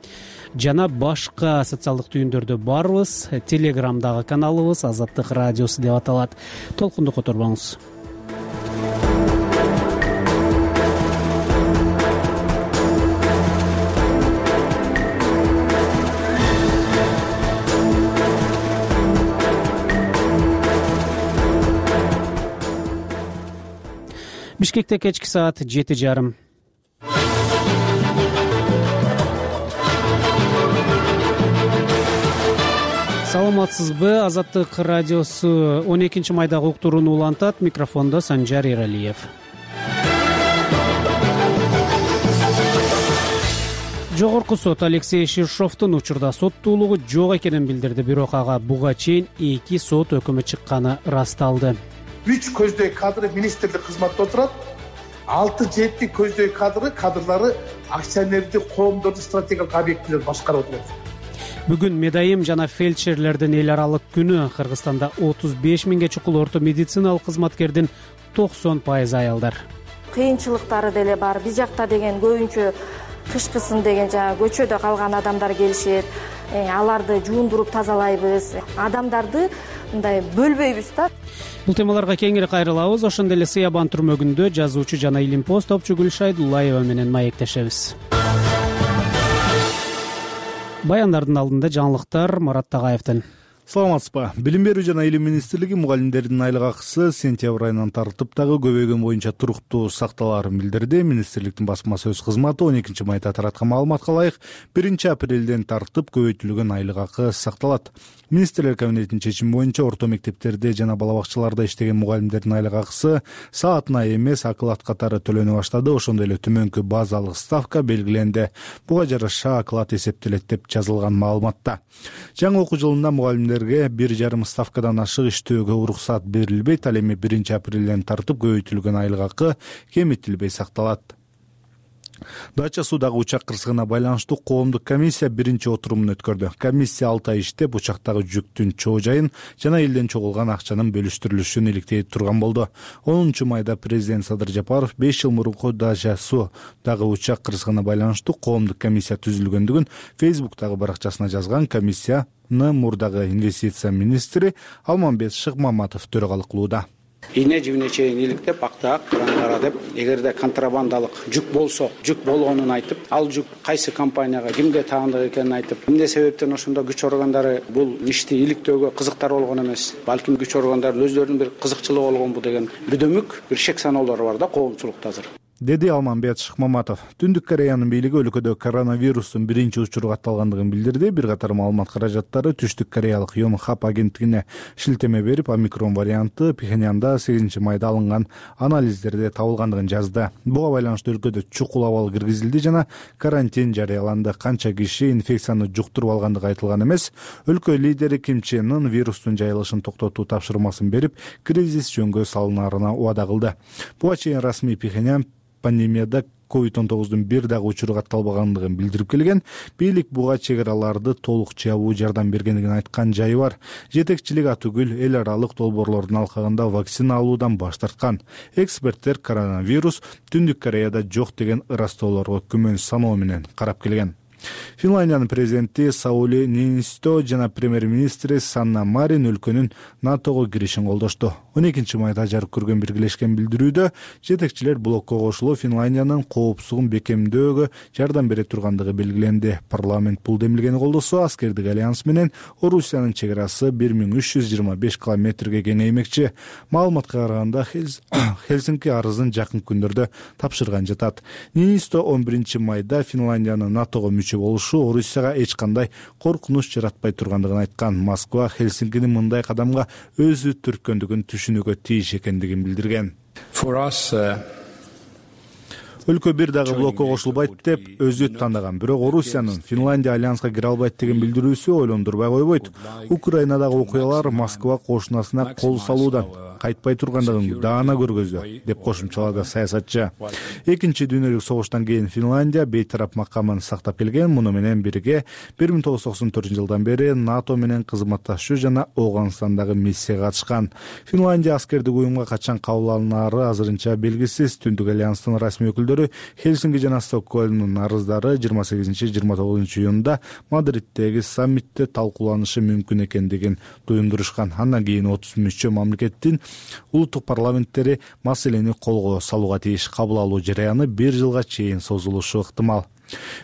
жана башка социалдык түйүндөрдө барбыз. Телеграмдагы каналыбыз Азаттык радиосу деп аталат. Толкунду которбоңуз. Бишкекте кечки саат 7:30. Саламатсызбы? Азаттык радиосу 12 майдагы уктурууну улантат. Микрофондо Санжар Эралиев. Жогорку сот Алексей Ширшовдун учурда соттуулугу жок экенин билдирди. Бирок ага буга чейин 2 сот өкүмү чыкканы ырасталды. 3 көздөй кадры министрлик кызматта отурат. 6-7 көздөй кадрлары акционердик коомдордун стратегиялык объектилерин башкарып отурат. Бүгүн медайым жана фельдшерлердин эл аралык күнү. Кыргызстанда 35 миңге чукул орто медициналык кызматкердин 90% аялдар. Кыйынчылыктары деле бар. Биз жакта деген көбүнчө кышкысын деген көчөдө калган адамдар келишет. Аларды жуундуруп тазалайбыз. Адамдарды мындай бөлбөйбүз да. Бул темаларга кеңири кайрылабыз. Ошондой эле Сыябан түрмөгүндө жазуучу жана илимпоз топчу Гүлшай Дулаева менен маектешебиз. Баяндардын алдында жаңылыктар Марат Тагаевден. Саламатсызбы? Билим берүү жана илим министрлиги мугалимдердин айлык акысы сентябрь айынан тартып дагы көбөйгөн боюнча туруктуу сакталаарын билдирди. Министрликтин басма сөз кызматы 12 майда тараткан маалыматка ылайык 1 апрелден тартып көбөйтүлгөн айлык акы сакталат. Министрлер кабинетинин чечими боюнча орто мектептерде жана бала бакчаларда иштеген мугалимдердин айлык акысы саатына эмес оклад катары төлөнө баштады. Ошондой эле төмөнкү базалык ставка белгиленди. Буга жараша оклад эсептелет деп жазылган маалыматта. Жаңы окуу жылында мугалимдерге 1,5 ставкадан ашык иштөөгө уруксат берилбейт. Ал эми 1 апрелден тартып көбөйтүлгөн айлык акы кемитилбей сакталат. Дача суудагы учак кырсыгына байланыштуу коомдук комиссия 1-отурумун өткөрдү. Комиссия 6 ай иштеп учактагы жүктүн чоо жайын жана элден чогулган акчанын бөлүштүрүлүшүн иликтей турган болду. 10 майда президент Садыр Жапаров 5 жыл мурунку Дача суудагы учак кырсыгына байланыштуу коомдук комиссия түзүлгөндүгүн Facebook'тагы баракчасына жазган. Комиссияны мурдагы инвестиция министри Алмамбет Шыкмаматов төрөгалык кылууда. Ийне жибине чейин иликтеп, актаак, кара деп, эгерде контрабандалык жүк болсо, жүк болгонун айтып, ал жүк кайсы компанияга, кимге таандык экенин айтып, эмне себептен ошондо күч органдары бул ишти иликтөөгө кызыктар болгон эмес. Балким күч органдары өздөрүнүн бир кызыкчылыгы болгонбу деген бүдөмүк бир шек саноолор бар да коомчулукта азыр. Деди Алмамбет Шыкмаматов. Түндүк Кореянын бийлиги өлкөдө коронавирустун биринчи учуру катталгандыгын билдирди. Бир катар маалымат каражаттары Түштүк Кореялык Yonhap агенттигине шилтеме берип, омикрон варианты Пхеньянда 8 майда алынган анализдерде табылгандыгын жазды. Буга байланыштуу өлкөдө чукул абал киргизилди жана карантин жарыяланды. Канча киши инфекцияны жуктуруп алгандыгы айтылган эмес. Өлкө лидери Ким Чен Ын вирустун жайылышын токтотуу тапшырмасын берип, кризис жөнгө салынаарына убада кылды. Буга чейин расмий Пхеньян пандемияда COVID-19 бир дагы учуру катталбагандыгын билдирип келген. Бийлик буга чек араларды толук жабуу жардам бергендигин айткан жайы бар. Жетекчилик атүгүл эл аралык долбоорлордун алкагында вакцина алуудан баш тарткан. Эксперттер коронавирус Түндүк Кореяда жок деген ырастоолорго күмөн саноо менен карап келген. Финляндиянын президенти Саули Ниинистö жана премьер-министри Санна Марин өлкөнүн НАТОго киришин колдошту. 12 майда жарык көргөн биргелешкен билдирүүдө жетекчилер блокко кошулуп Финляндиянын коопсуздугун бекемдөөгө жардам бере тургандыгы белгиленди. Парламент бул демилгени колдосо, аскердик альянс менен Орусиянын чекарасы 1325 километрге кеңеймекчи. Маалыматка караганда Хельсинки арызын жакын күндөрдө тапшырган жатат. Ниинистö 11 майда Финляндиянын НАТОго мүчө болушу Орусияга эч кандай коркунуч жаратпай тургандыгын айткан. Москва Хельсинкинин мындай кадамга өзү түрткөндүгүн түшүнүүгө тийиш экендигин билдирген. Өлкө бир дагы блокко кошулбайт деп өзү тандаган. Бирок Орусиянын Финляндия альянска кире албайт деген билдирүүсү ойлондурбай койбойт. Украинадагы окуялар Москва кошунасына кол салуудан кайтпай тургандыгын даана көргөздү деп кошумчалады саясатчы. Экинчи дүйнөлүк согуштан кийин Финляндия бейтарап макамын сактап келген. Муну менен бирге 1994-жылдан бери НАТО менен кызматташуу жана Афганистандагы миссияга катышкан. Финляндия аскердик уюмга качан кабыл алынаары азырынча белгисиз. Түндүк альянстын расмий өкүлдөрү Хельсинки жана Стокгольмдун арыздары 28-29 июнда Мадриттеги саммитте талкууланышы мүмкүн экендигин туюндурушкан. Андан кийин 30 мүчө мамлекеттин улуттук парламенттери маселени колго салууга тийиш. Кабыл алуу жараяны 1 жылга чейин созулушу ыктымал.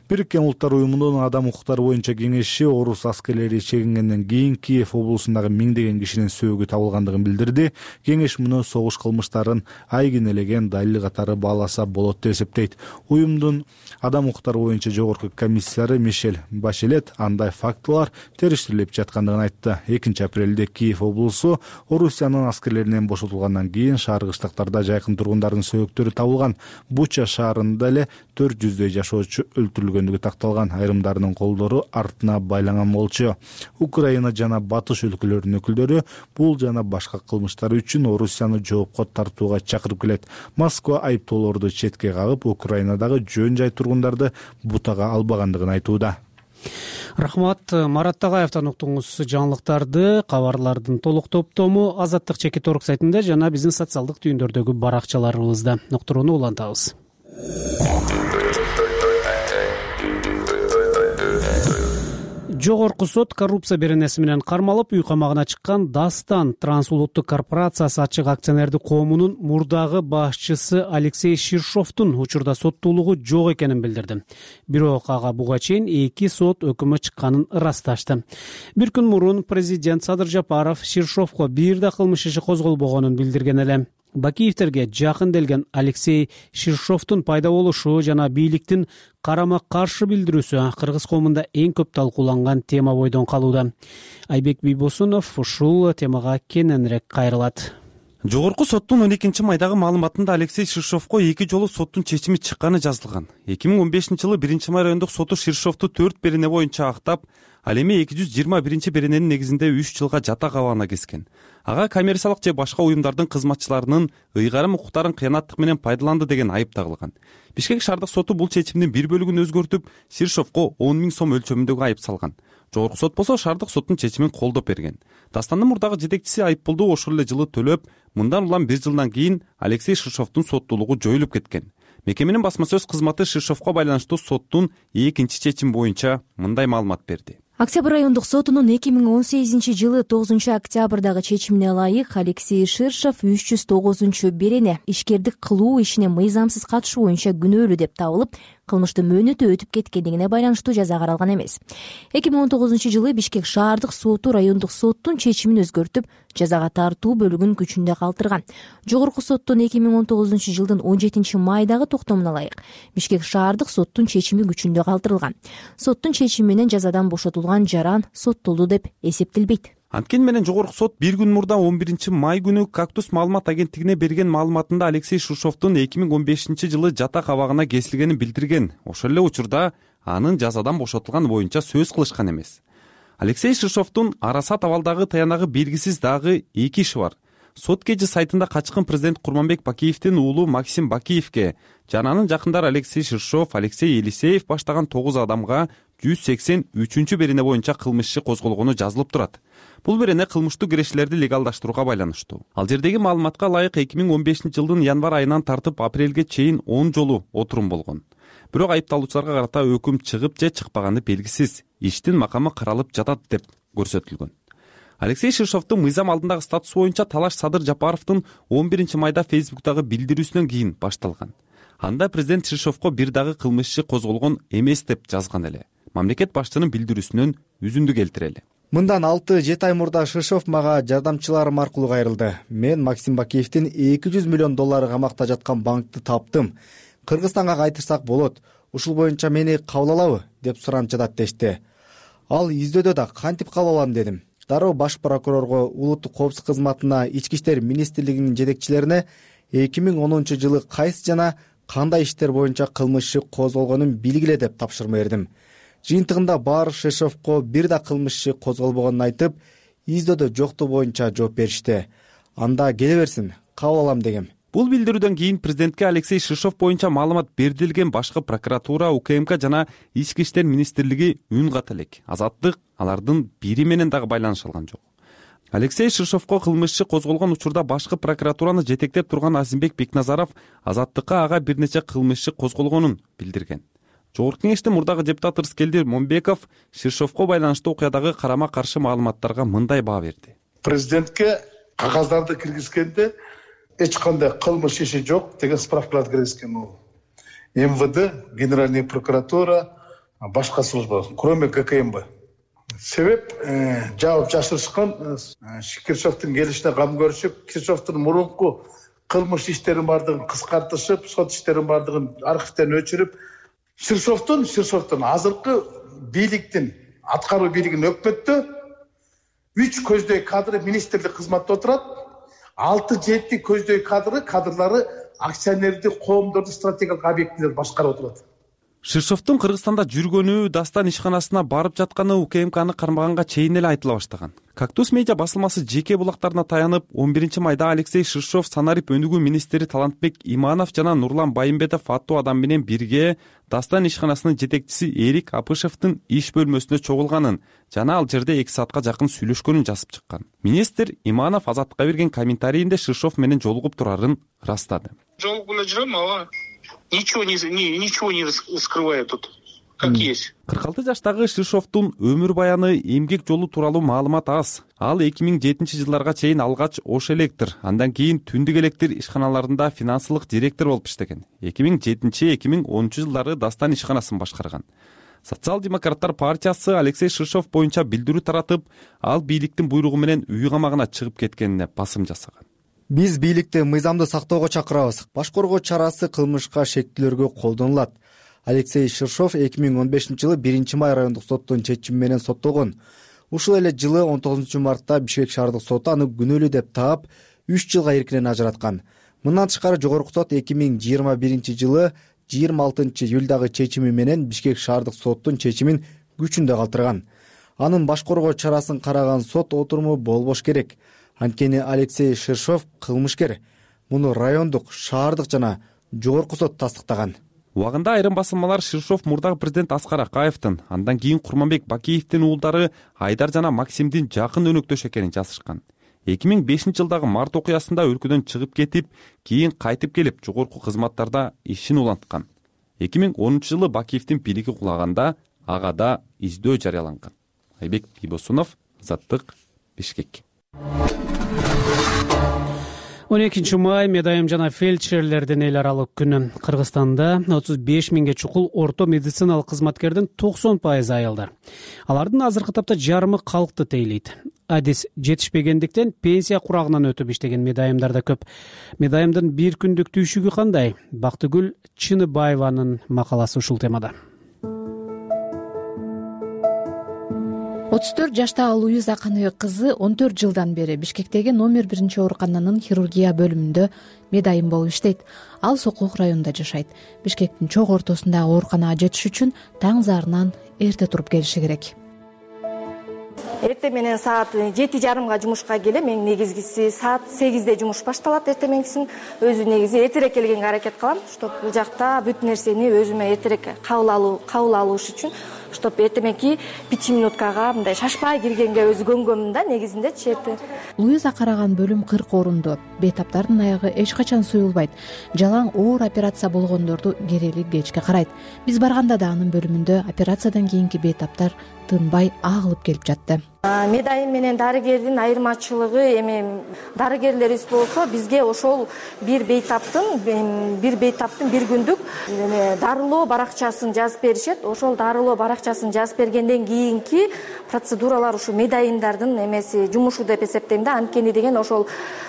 Бириккен Улуттар уюмунун адам укуктары боюнча кеңеши орус аскерлери чегингенден кийин Киев облусундагы миңдеген кишинин сөөгү табылгандыгын билдирди. Кеңеш муну согуш кылмыштарын айгинелеген далил катары бааласа болот деп эсептейт. Уюмдун адам укуктары боюнча жогорку комиссары Мишель Башелет андай фактылар териштирилип жаткандыгын айтты. 2-апрелде Киев облусу Орусиянын аскерлеринен бошотулгандан кийин шаар кыштактарда жайкын тургундардын сөөгүттөрү табылган. Буча шаарында эле 400 жашоочу өлтүрүлгөндүгү такталган. Айрымдарынын колдору артына байланган болчу. Украина жана батыш өлкөлөрүнүн өкүлдөрү бул жана башка кылмыштар үчүн Орусияны жоопко тартууга чакырып келет. Москва айыптоолорду четке кагып, Украинадагы жөн жай тургундарды бутага албагандыгын айтууда. Рахмат. Марат Тагаевден уктуңуз жаңылыктарды. Кабарлардын толук топтому Азаттык Чекит.орг сайтында жана биздин социалдык түйүндөрдөгү баракчаларыбызда. Уктурууну улантабыз. Жогорку сот коррупция беренеси менен кармалып үй камагына чыккан Дастан трансулуттук корпорациясы ачык акционердик коомунун мурдагы башчысы Алексей Ширшовдун учурда соттуулугу жок экенин билдирди. Бирок ага буга чейин 2 сот өкүмү чыкканын ырасташты. Бир күн мурун президент Садыр Жапаров Ширшовго бир да кылмыш иши козголбогонун билдирген эле. Бакиевтерге жакын келген Алексей Ширшовдун пайда болушу жана бийликтин карама каршы билдирүүсү кыргыз коомунда эң көп талкууланган тема бойдон калууда. Айбек Бийбосунов ушул темага кененирээк кайрылат. Жогорку соттун 12 майдагы маалыматында Алексей Ширшовго 2 жолу соттун чечими чыкканы жазылган. 2015-жылы 1-май райондук соту Ширшовду 4 берене боюнча актап, ал эми 221 берененин негизинде 3 жылга жатак абагына кескен. Ага коммерциялык же башка уюмдардын кызматчыларынын ыйгарым укуктарын кыянаттык менен пайдаланды деген айып тагылган. Бишкек шаардык соту бул чечимдин бир бөлүгүн өзгөртүп, Ширшовго 10 000 сом өлчөмүндөгү айып салган. Жогорку сот болсо шаардык соттун чечимин колдоп берген. Дастандын мурдагы жетекчиси айыппулду ошол эле жылы төлөп, мындан улам 1 жылдан кийин Алексей Ширшовдун соттуулугу жоюлуп кеткен. Мекеменин басма сөз кызматы Ширшовго байланыштуу соттун 2-чи чечими боюнча мындай маалымат берди. Октябрь райондук сотунун 2018-жылы 9-октябрдагы чечимине ылайык Алексей Ширшов 309-берене ишкердик кылуу ишине мыйзамсыз катышуу боюнча күнөөлүү деп табылып, кылмыштын мөөнөтү өтүп кеткендигине байланыштуу жаза каралган эмес. 2019-жылы Бишкек шаардык соту райондук соттун чечимин өзгөртүп, жазага тартуу бөлүгүн күчүндө калтырган. Жогорку соттун 2019-жылдын 17 майдагы токтомуна ылайык Бишкек шаардык соттун чечими күчүндө калтырылган. Соттун чечими менен жазадан бошотулган жаран соттолду деп эсептелбейт. Анткени менен жогорку сот 1 күн мурда 11 май күнү Кактус маалымат агенттигине берген маалыматында Алексей Ширшовдун 2015-жылы жатак абагына кесилгенин билдирген. Ошол эле учурда анын жазадан бошотулган боюнча сөз кылышкан эмес. Алексей Ширшовдун Арасат абалдагы таянагы белгисиз дагы 2 иши бар. Сот кежи сайтында качкын президент Курманбек Бакиевдин уулу Максим Бакиевке жана анын жакындары Алексей Ширшов, Алексей Елисеев баштаган 9 адамга 183 берене боюнча кылмыш иши козголгону жазылып турат. Бул берене кылмыштуу кирешилерди легалдаштырууга байланыштуу. Ал жердеги маалыматка ылайык 2015-жылдын январь айынан тартып апрелге чейин 10 жолу отурум болгон. бирок айыпталуучуларга карата өкүм чыгып же чыкпаганы белгисиз, иштин макамы каралып жатат деп көрсөтүлгөн. Алексей Ширшовдун мыйзам алдындагы статусу боюнча талаш Садыр Жапаровдун 11 майда Фейсбуктагы билдирүүсүнөн кийин башталган. Анда президент Ширшовго бир дагы кылмыш иши козголгон эмес деп жазган эле. Мамлекет башчынын билдирүүсүнөн үзүндү келтирели. Мындан 6-7 ай мурда Ширшов мага жардамчыларым аркылуу кайрылды. Мен Максим Бакиевдин 200 миллион доллары камакта жаткан банкты таптым. Кыргызстанга кайтырсак болот. Ушул боюнча мени кабыл алабы деп суранчыдат дешти. Ал издөөдө да кантип кабыл алам дедим. Дароо баш прокурорго, улуттук коопсуздук кызматына, Ички иштер министрлигинин жетекчилерине 2010 жылы кайсы жана кандай иштер боюнча кылмыш иши козголгонун билгиле деп тапшырма бердим. Жыйынтыгында баары Ширшовго бир да кылмыш иши козголбогонун айтып, издөөдө жокту боюнча жооп беришти. Анда келе берсин, кабыл алам дегем. Бул билдирүүдөн кийин президентке Алексей Ширшов боюнча маалымат бердирилген башкы прокуратура, УКМК жана Ички иштер министрлиги үн ката элек. Азаттык алардын бири менен дагы байланыша алган жок. Алексей Ширшовго кылмыш иши козголгон учурда башкы прокуратураны жетектеп турган Азимбек Бекназаров Азаттыкка ага бир нече кылмыш иши козголгонун билдирген. Жогорку кеңештин мурдагы депутаты Рыскелди Момбеков Ширшовго байланыштуу окуядагы карама каршы маалыматтарга мындай баа берди. Президентке кагаздарды киргизгенде эч кандай кылмыш иши жок деген справкаларды киргизген ол. МВД, Генеральная прокуратура, башка служба, кроме ГКМБ. Себеп жаап жашырышкан Ширшовдун келишине кам көрүшүп, Ширшовдун мурунку кылмыш иштерин бардыгын кыскартышып, сот иштерин бардыгын архивден өчүрүп, Ширшовдун азыркы бийликтин, аткаруу бийлигинин өкмөттө 3 көздөй кадры министрлик кызматта отурат, 6-7 көздөй кадрлары акционердик коомдордун стратегиялык объектилерди башкарып отурат. Ширшовдун Кыргызстанда жүргөнү, Дастан ишканасына барып жатканы УКМКны кармаганга чейин эле айтыла баштаган. Кактус медиа басылмасы жеке булактарына таянып, 11 майда Алексей Ширшов Санарип өнүгүү министри Талантбек Иманов жана Нурлан Байымбетов аттуу адам менен бирге Дастан ишканасынын жетекчиси Эрик Апышевдин иш бөлмөсүнө чогулганын жана ал жерде 2 саатка жакын сүйлөшкөнүн жазып чыккан. Министр Иманов Азаттыкка берген комментарийинде Ширшов менен жолугуп турарын ырастады. Жолугуп эле жүрөм, ага ничего не скрываю тут, как есть. 46 жаштагы Ширшовдун өмүр баяны, эмгек жолу тууралуу маалымат аз. Ал 2007 жылдарга чейин алгач Ош Электр, андан кийин Түндүк Электр ишканаларында финансылык директор болуп иштеген. 2007-2010 жылдары Дастан ишканасын башкарган. Социал-демократтар партиясы Алексей Ширшов боюнча билдирүү таратып, ал бийликтин буйругу менен үй камагына чыгып кеткенине басым жасаган. Биз бийликти мыйзамды сактоого чакырабыз. Баш коргоо чарасы кылмышка шектүүлөргө колдонулат. Алексей Ширшов 2015 жылы 1 май райондук соттун чечими менен соттолгон. Ушул эле жылы 19 мартта Бишкек шаардык соту аны күнөөлүү деп таап 3 жылга эркинен ажыраткан. Мындан тышкары жогорку сот 2021 жылы 26 июлдагы чечими менен Бишкек шаардык соттун чечимин күчүндө калтырган. Анын баш коргоо чарасын караган сот отуруму болбош керек. Анткени Алексей Ширшов кылмышкер. Муну райондук, шаардык жана жогорку сот тастыктаган. Убагында айрым басылмалар Ширшов мурдагы президент Аскар Акаевдин, андан кийин Курманбек Бакиевдин уулдары Айдар жана Максимдин жакын өнөктөш экенин жазышкан. 2005 жылдагы март окуясында өлкөдөн чыгып кетип, кийин кайтып келип, жогорку кызматтарда ишин уланткан. 2010 жылы Бакиевдин бийлиги кулаганда ага да издөө жарыяланган. Айбек Бибосунов, Азаттык, Бишкек. 12 май медайым жана фельдшерлердин эл аралык күнү. Кыргызстанда 35 миңге чукул орто медициналык кызматкердин 90% айылдар. Алардын азыркы тапта жарымы калкты тейлейт. Адис жетишпегендиктен пенсия курагынан өтүп иштеген медайымдар да көп. Медайымдын бир күндүк түйшүгү кандай? Бактыгүл Чыныбаеванын макаласы ушул темада. 34 жаштагы Луиза Каныбек кызы 14 жылдан бери Бишкектеги номер 1 оорукананын хирургия бөлүмүндө медайым болуп иштейт. Ал Сокулук районунда жашайт. Бишкектин чок ортосундагы ооруканага жетиш үчүн таң зарынан эрте туруп келиши керек. Эрте менен саат 7:30 жумушка келем. Мен негизгиси саат 8-де жумуш башталат. Эрте менен өзү негизи эртерээк келгенге аракет кылам, чтобы бул жакта бүт нерсени өзүмө эртерээк кабыл алыш үчүн. чтоб эртеменки 5 минуткага мындай шашпай киргенге өзү көнгөнмүн да негизиндечи эрте. Луиза караган бөлүм 40 орундуу. Бейтаптардын аягы эч качан суюлбайт. Жалаң оор операция болгондорду керели кечке карайт. Биз барганда да анын бөлүмүндө операциядан кийинки бейтаптар тынбай агылып келип жатты. Медайым менен дарыгердин айырмачылыгы эми дарыгерлерибиз болсо бизге ошол бир бейтаптын бир күндүк дарылоо баракчасын жазып беришет. Ошол дарылоо баракчасын жазып бергенден кийинки процедуралар ушу медайымдардын эмеси жумушу деп эсептейм да. Анткени деген ошол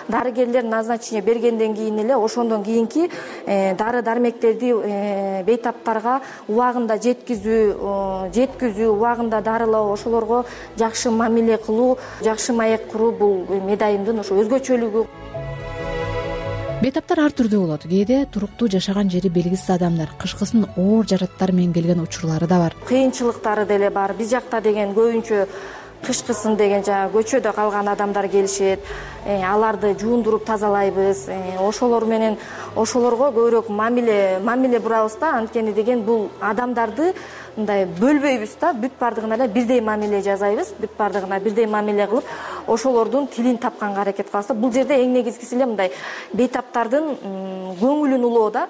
дарыгерлер назначение бергенден кийин эле ошондон кийинки дары дармектерди бейтаптарга убагында жеткизүү, убагында дарылоо, ошолорго жакшы мамиле кылуу, жакшы маек куруу бул медайымдын ошо өзгөчөлүгү. Бейтаптар ар түрдүү болот. Кээде туруктуу жашаган жери белгисиз адамдар кышкысын оор жараттар менен келген учурлары да бар. Кыйынчылыктары деле бар. Биз жакта деген көбүнчө кышкысын деген көчөдө калган адамдар келишет. Аларды жуундуруп тазалайбыз. Ошолор менен ошолорго көбүрөөк мамиле бурабыз да. Анткени деген бул адамдарды мындай бөлбөйбүз да. Бүт бардыгына эле бирдей мамиле жасайбыз. Бүт бардыгына бирдей мамиле кылып, ошолордун тилин тапканга аракет кылабыз. Бул жерде эң негизгиси эле мындай бейтаптардын көңүлүн улоо да.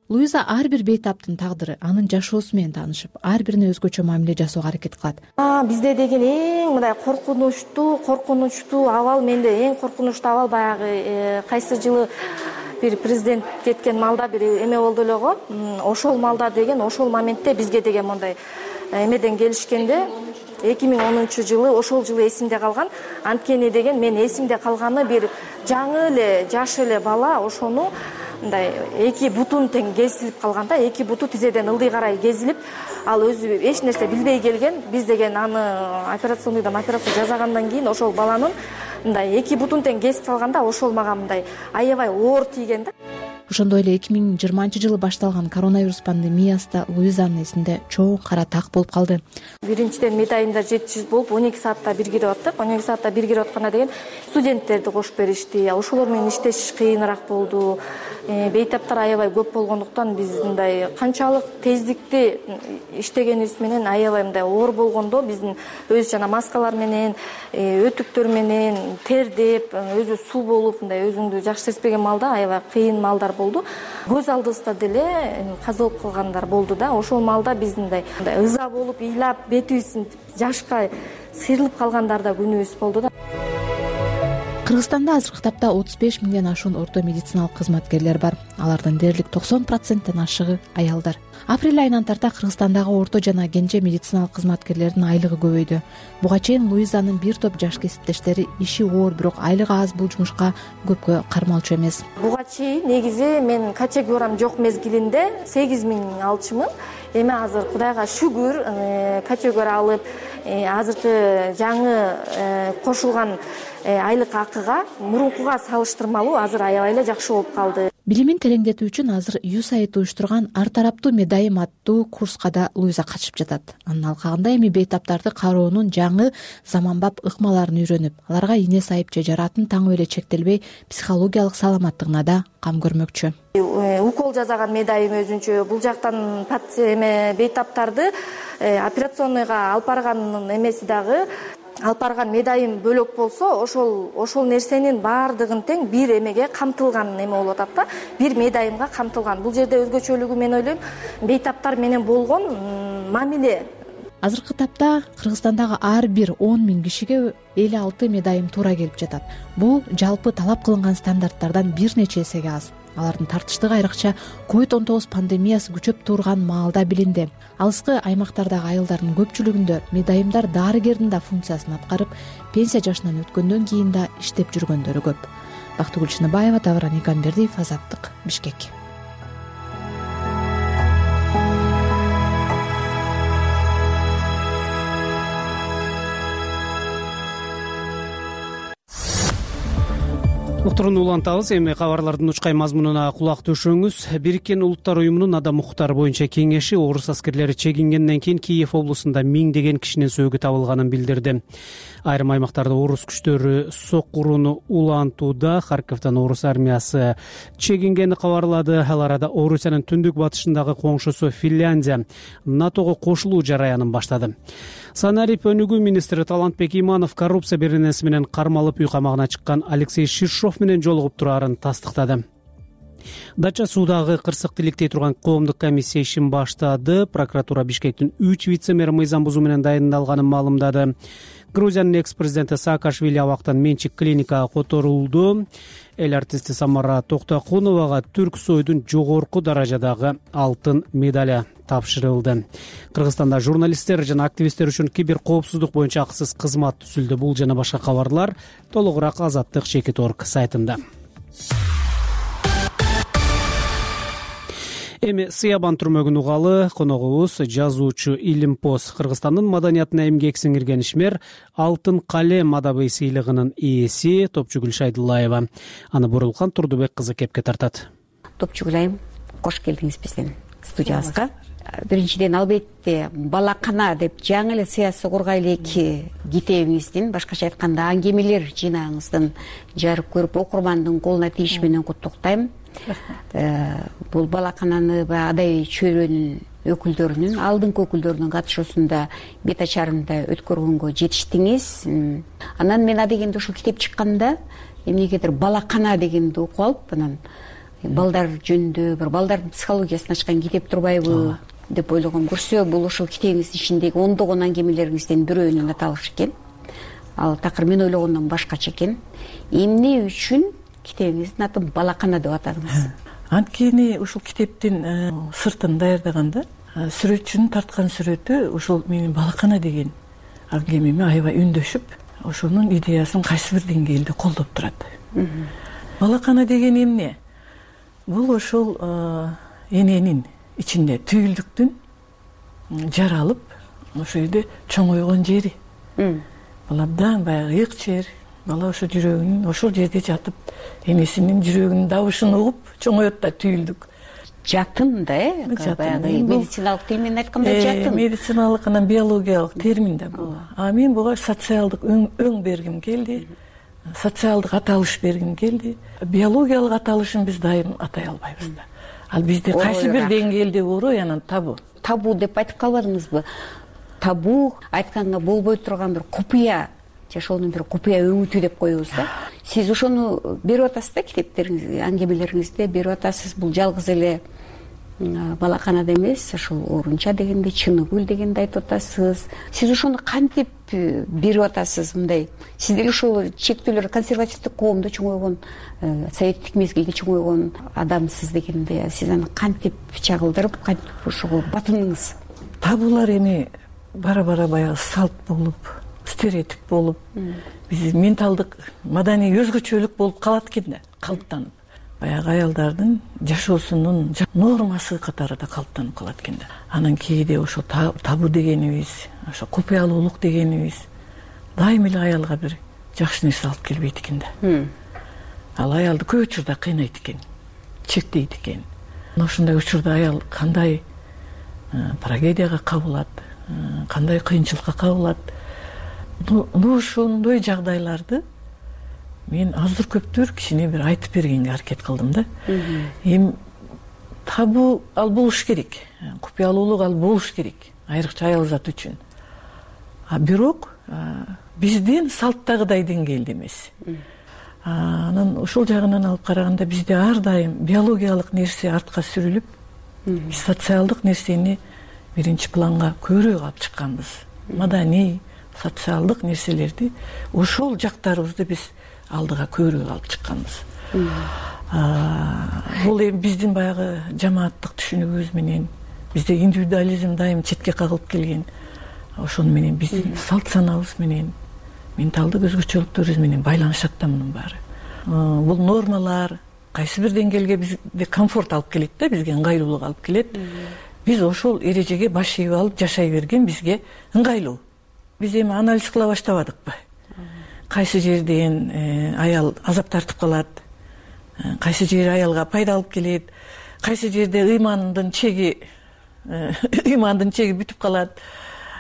Луиза ар бир бейтаптын тагдыры, анын жашоосу менен таанышып, ар бирине өзгөчө мамиле жасоого аракет кылат. Бизде деген эң мындай коркунучтуу абал, менде эң коркунучтуу абал баягы кайсы жылы бир президент кеткен маалда бир эме болду эле го. Ошол маалда деген ошол моментте бизге деген мындай эмеден келишкенде 2010-жылы ошол жылы эсимде калган. Анткени деген мен эсимде калганы бир жаңы эле жаш эле бала ошону мындай эки бутун тең кесилип калган да, эки буту тизеден ылдый карай кезилип, ал өзү эч нерсе билбей келген. Биз деген аны операционныйдан операция жасагандан кийин ошол баланын мындай эки бутун тең кесип салганда ошол мага мындай аябай оор тийген да. Ошондой эле 2020-жылы башталган коронавирус пандемиясы да Луизанын эсинде чоң кара так болуп калды. Биринчиден медайымдар жетишсиз болуп 12 саатта бир кирип аттык. 12 саатта бир кирип атканда деген студенттерди кошуп беришти. Ошолор менен иштешиш кыйыныраак болду. Бейтаптар аябай көп болгондуктан биз мындай канчалык тездикти иштегенибиз менен аябай мындай оор болгондо биздин өзү жана маскалар менен, өтүктөр менен тердеп, өзү суу болуп мындай өзүңдү жакшы сезбеген маалда аябай кыйын маалдар болду. Көз алдыбызда деле каза болуп калгандар болду да. Ошол маалда биз мындай ыза болуп, ыйлап, бетибиз жашка сыйрылып калгандар да күнүбүз болду да. Кыргызстанда азыркы тапта 35 миңден ашуун орто медициналык кызматкерлер бар. Алардын дээрлик 90%тен ашыгы аялдар. Апрель айынан тарта Кыргызстандагы орто жана кенже медициналык кызматкерлердин айлыгы көбөйдү. Буга чейин Луизанын бир топ жаш кесиптештери иши оор, бирок айлыгы аз бул жумушка көпкө кармалчу эмес. Буга чейин негизи мен категориям жок мезгилинде 8 миң алчумун. Эми азыр Кудайга шүгүр категория алып, азыркы жаңы кошулган айлык акыга мурункуга салыштырмалуу азыр аябай эле жакшы болуп калды. Билимин тереңдетүү үчүн азыр USAID уюштурган ар тараптуу медайым аттуу курска да Луиза катышып жатат. Анын алкагында эми бейтаптарды кароонун жаңы заманбап ыкмаларын үйрөнүп, аларга ийне сайып же жаратын таңып эле чектелбей психологиялык саламаттыгына да кам көрмөкчү. Укол жасаган медайым өзүнчө, бул жактан бейтаптарды операционныйга алып барганын эмеси дагы алып барган медайым бөлөк болсо, ошол нерсенин баардыгын тең бир эмеге камтылган эме болуп атат да. Бир медайымга камтылган. Бул жерде өзгөчөлүгү мен ойлойм, бейтаптар менен болгон мамиле. Азыркы тапта Кыргызстандагы ар бир 10 миң кишиге 56 медайым туура келип жатат. Бул жалпы талап кылынган стандарттардан бир нече эсеге аз. Алардын тартыштыгы айрыкча COVID-19 пандемиясы күчөп турган маалда билинди. Алыскы аймактардагы айылдардын көпчүлүгүндө медайымдар дарыгердин да функциясын аткарып, пенсия жашынан өткөндөн кийин да иштеп жүргөндөрү көп. Бактыгүл Чыныбаева, Тавран Игамбердиев, Азаттык, Бишкек. Уктуруну улантабыз. Эми кабарлардын учкай мазмунуна кулак төшөңүз. Бириккен Улуттар уюмунун адам укуктары боюнча кеңеши орус аскерлери чегингенден кийин Киев облусунда миңдеген кишинин сөөгү табылганын билдирди. Айрым аймактарда орус күчтөрү сокуруну улантууда. Харьковдон орус армиясы чегингени кабарлады. Ал арада Орусиянын түндүк батышындагы коңшусу Финляндия НАТОго кошулуу жараянын баштады. Санарип өнүгүү министри Талантбек Иманов коррупция беренеси менен кармалып үй камагына чыккан Алексей Ширшов менен жолугуп турарын тастыктады. Дача суудагы кырсык тиликтей турган коомдук комиссия ишин баштады. Прокуратура Бишкектин 3 вице-мэр мыйзам бузуу менен дайындалганын маалымдады. Грузиянын экс-президенти Саакашвили абактан менчик клиникага которулду. Эл артисти Самара Токтокуновага Түрк Сойдун жогорку даражадагы алтын медали тапшырылды. Кыргызстанда журналисттер жана активисттер үчүн кибер коопсуздук боюнча акысыз кызмат түзүлдү. Бул жана башка кабарлар толугураак Азаттык.org сайтында. Эми Сыябан түрмөгүн угалы. Коногубуз жазуучу Илимпоз. Кыргызстандын маданиятына эмгек сиңирген ишмер Алтын калем адабый сыйлыгынын ээси Топчугүл Шайдуллаева. Аны Бурулкан Турдубек кызы кепке тартат. Топчугүл айым, кош келдиңиз биздин студиябызга. Биринчиден албетте балакана деп жаңы эле сыясы кургай эки китебиңиздин, башкача айтканда аңгемелер жыйнагыңыздын жарык көрүп окурмандын колуна тийиши менен куттуктайм. Бул балакананы адай чөйрөнүн өкүлдөрүнүн, алдыңкы өкүлдөрүнүн катышуусунда бет ачарында өткөргөнгө жетиштиңиз. Анан мен адегенде ушул китеп чыкканда эмнегедир балакана дегенди окуп алып, анан балдар жөнүндө бир балдардын психологиясын ачкан китеп турбайбы деп ойлогом. Көрсө бул ушул китебиңиздин ичиндеги ондогон аңгемелериңизден бирөөнүн аталышы экен. Ал такыр мен ойлогондон башкача экен. Эмне үчүн китебиңиздин атын балакана деп атадыңыз? Анткени ушул китептин сыртын даярдаганда сүрөтчүнүн тарткан сүрөтү ушул менин балакана деген аңгемеме аябай үндөшүп, ошонун идеясын кайсы бир деңгээлде колдоп турат. Балакана деген эмне? Бул ошол эненин ичинде түйүлдүктүн жаралып, ошол жерде чоңойгон жери. Бул абдан баягы ыйык жер. Бала ошо жүрөгүнүн ошол жерде жатып, энесинин жүрөгүнүн дабышын угуп чоңоет да түйүлдүк. Жатын да, баягы медициналык термин айтканда жатын. Медициналык анан биологиялык термин да бул. А мен буга социалдык өң бергим келди. Социалдык аталыш бергим келди. Биологиялык аталышын биз дайым атай албайбыз да. Ал бизде кайсы бир деңгээлде орой, анан табу. Табу деп айтып калбадыңызбы? Табу айтканга болбой турган бир купуя, жашоонун бир купуя өңүтү деп коебуз да. Сиз ошону берип атасыз да, китептериңизде, аңгемелериңизде берип атасыз. Бул жалгыз эле балаканада эмес, ошол орунча дегенде, Чыныгүл дегенди айтып атасыз. Сиз ошону кантип берип атасыз мындай? Сиз деле ошол чектөөлөр консервативдик коомдо чоңойгон, советтик мезгилде чоңойгон адамсыз дегенде, сиз аны кантип чагылдырып, кантип ошого батындыңыз? Табуулар эми бара-бара баягы салт болуп, стереотип болуп, биз менталдык, маданий өзгөчөлүк болуп калат экен да, калыптанып. Баягы аялдардын жашоосунун нормасы катарында калыптанып калат экен да. Анан кээде ошо табу дегенибиз, ошо купуялуулук дегенибиз дайым эле аялга бир жакшы нерсе алып келбейт экен да. Ал аялды көп учурда кыйнайт экен, чектейт экен. Ошондой учурда аял кандай трагедияга кабылат, кандай кыйынчылыкка кабылат. Ошондой жагдайларды мен аздыр көптүр кичине бир айтып бергенге аракет кылдым да. Эми табу ал болуш керек, купуялуулук ал болуш керек, айрыкча аял зат үчүн. Бирок биздин салттагыдай деңгээлде эмес. Анан ошол жагынан алып караганда бизде ар дайым биологиялык нерсе артка сүрүлүп, биз социалдык нерсени биринчи планга көбүрөөк алып чыкканбыз. Маданий, социалдык нерселерди, ошол жактарыбызды биз алдыга көбүрөөк алып чыкканбыз. Бул эми биздин баягы жамааттык түшүнүгүбүз менен, бизде индивидуализм дайым четке кагылып келген. Ошону менен биздин салт санабыз менен, менталдык өзгөчөлүктөрүбүз менен байланышат да мунун баары. Бул нормалар кайсы бир деңгээлге бизде комфорт алып келет да, бизге ыңгайлуулук алып келет. Биз ошол эрежеге баш ийип алып жашай берген бизге ыңгайлуу. Биз эми анализ кыла баштабадыкпы? кайсы жерден аял азап тартып калат, кайсы жери аялга пайда алып келет, кайсы жерде ыймандын чеги бүтүп калат,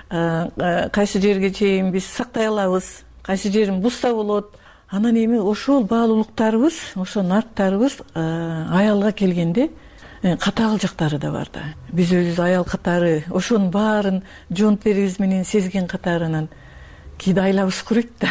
кайсы жерге чейин биз сактай алабыз, кайсы жерин бузса болот. Анан эми ошол баалуулуктарыбыз, ошо нарттарыбыз аялга келгенде катаал жактары да бар да. Биз өзүбүз аял катары ошонун баарын жоонттерибиз менен сезген катарынан кээде айлабыз курuyт да.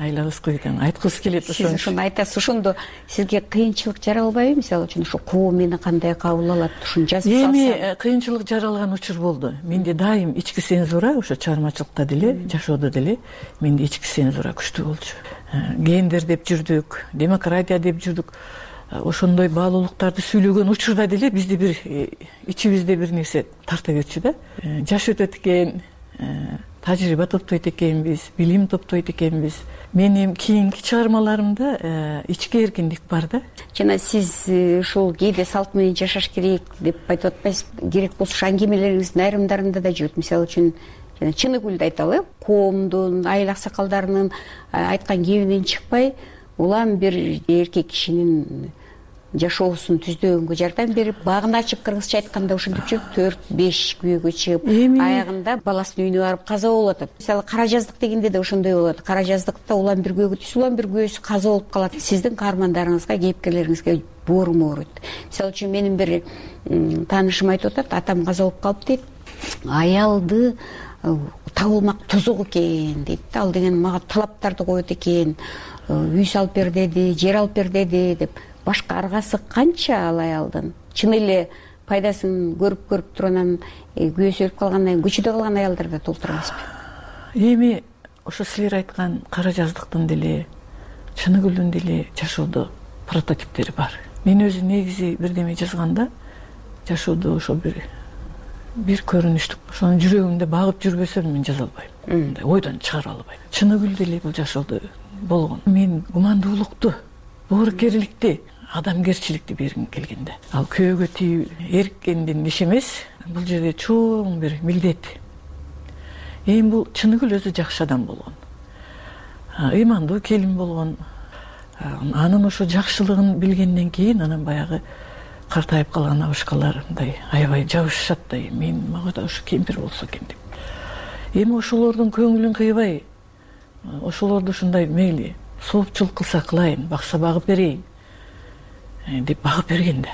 Айлабыз курuyт, айткыбыз келет ошону. Сиз ошону айтасыз. Ошондо сизге кыйынчылык жаралбайбы? Мисалы үчүн ошо коом мени кандай кабыл алат, ушуну жазып салсам. Эми кыйынчылык жаралган учур болду. Менде дайым ички цензура, ошо чыгармачылыкта деле, жашоодо деле менде ички цензура күчтүү болчу. Гендер деп жүрдүк, демократия деп жүрдүк. Ошондой баалуулуктарды сүйлөгөн учурда деле бизди бир ичибизде бир нерсе тарта берчү да. Жаш өтөт экен, тажрыйба топтойт экенбиз, билим топтойт экенбиз. Менин кийинки чыгармаларымда ички эркиндик бар да. Жана сиз ушул кээде салт менен жашаш керек деп айтып атпайсызбы? Керек болсо аңгемелериңиздин айрымдарында да жүрөт. Мисалы үчүн Чыныгүлдү айталы, коомдун, айыл аксакалдарынын айткан кебинен чыкпай, улам бир эркек кишинин жашоосун түздөгөнгө жардам берип, багын ачып, кыргызча айтканда ушинтип жүрүп 4-5 күйөөгө чыгып, аягында баласынын үйүнө барып каза болуп атат. Мисалы кара жаздык дегенде да ошондой болот. Кара жаздыкта улам бир күйөөгө түшүп, улам бир күйөөсү каза болуп калат. Сиздин каармандарыңызга, кейипкерлериңизге боорум ооруйт. Мисалы үчүн менин бир таанышым айтып атат, атам каза болуп калып дейт. Аялды табылмак тозок экен дейт. Ал деген мага талаптарды коет экен. Үй салып бер деди, жер алып бер деди деп. Башка аргасы канча ал аялдын? Чын эле пайдасын көрүп турганан күйөөсү өлүп калгандан кийин көчөдө калган аялдар да толтура эмеспи? Эми ошо силер айткан кара жаздыктын деле, Чыныгүлдүн деле жашоодо прототиптери бар. Мен өзү негизи бирдеме жазганда жашоодо ошо бир көрүнүштүк, ошонун жүрөгүмдө багып жүрбөсөм мен жаза албайм. Ойдон чыгара албайм. Чыныгүл деле бул жашоодо болгон. Мен гумандуулукту, боорукерликти, адамгерчиликти бергим келгенде. Ал күйөөгө тийип эркендин иши эмес, бул жерде чоң бир милдет. Эми бул Чыныгүл өзү жакшы адам болгон. Ыймандуу келин болгон. Анын ошо жакшылыгын билгенден кийин анан баягы картайып калган абышкалар мындай аябай жабышышат да, мага да ушу кемпир болсо экен деп. Эми ошолордун көңүлүн кыйбай, ошолорду ушундай мейли соопчулук кылса кылайын, бакса багып берейин деп багып берген да.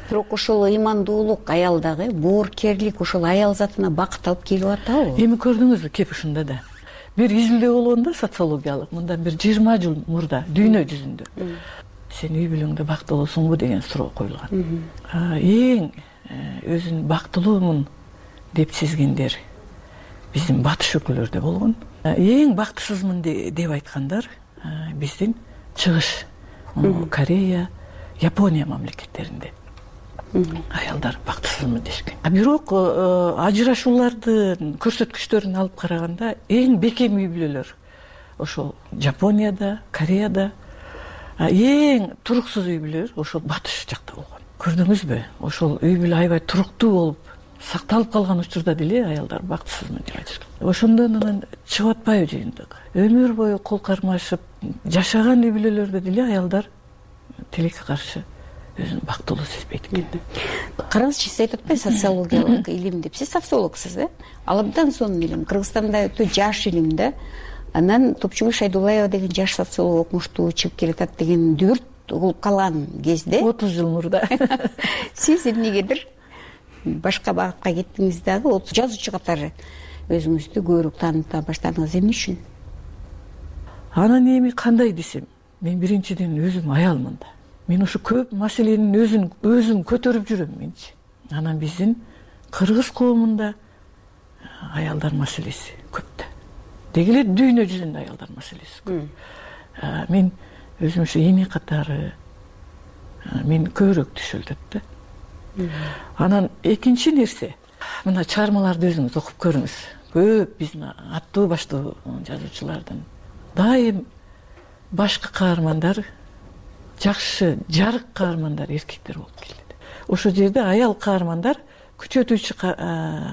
Бирок ошол ыймандуулук аялдагы, боорукерлик ошол аял затына бакыт алып келип атабы? Эми көрдүңүзбү, кеп ушунда да. Бир изилдөө болгон да, социологиялык, мындан бир 20 жыл мурда дүйнө жүзүндө. Сен үй бүлөңдө бактылуусуңбу деген суроо коюлган. Эң өзүн бактылуумун деп сезгендер биздин батыш өлкөлөрдө болгон. Эң бактысызмын деп айткандар биздин чыгыш, Корея, Япония мамлекеттеринде аялдар бактысызмын дешкен. Бирок ажырашуулардын көрсөткүчтөрүн алып караганда эң бекем үй бүлөлөр ошол Жапонияда, Кореяда, эң туруксуз үй бүлөлөр ошол батыш жакта болгон. Көрдүңүзбү? Ошол үй бүлө аябай туруктуу болуп сакталып калган учурда деле аялдар бактысызмын деп айтышат. Ошондон анан чыгып атпайбы жыйынтык? Өмүр бою кол кармашып жашаган үй бүлөлөрдө деле аялдар тилекке каршы өзүн бактылуу сезбейт экен. Караңызчы, сиз айтып атпайсыз социологиялык илим деп. Сиз социологсуз, Ал абдан сонун илим. Кыргызстанда өтө жаш илим да. Анан Топчугул Шайдуллаева деген жаш социолог окумуштуу чыгып келатат деген дүбүрт угулуп калган кезде 30 жыл мурда сиз эмнегедир башка багытка кеттиңиз дагы, жазуучу катары өзүңүздү көбүрөөк тааныта баштадыңыз. Эмне үчүн? Анан эми кандай десем, мен биринчиден өзүм аялмын да. Мен ушу көп маселенин өзүм көтөрүп жүрөм менчи. Анан биздин кыргыз коомунда аялдар маселеси көп да. Деги эле дүйнө жүзүндө аялдар маселеси көп. Мен өзүм ушу эне катары мен көбүрөөк түшүлдүт да. Анан экинчи нерсе, мына чыгармаларды өзүңүз окуп көрүңүз. Көп биздин аттуу баштуу жазуучулардын дайым башкы каармандар, жакшы жарык каармандар эркектер болуп келет. Ошол жерде аял каармандар күчөтүүчү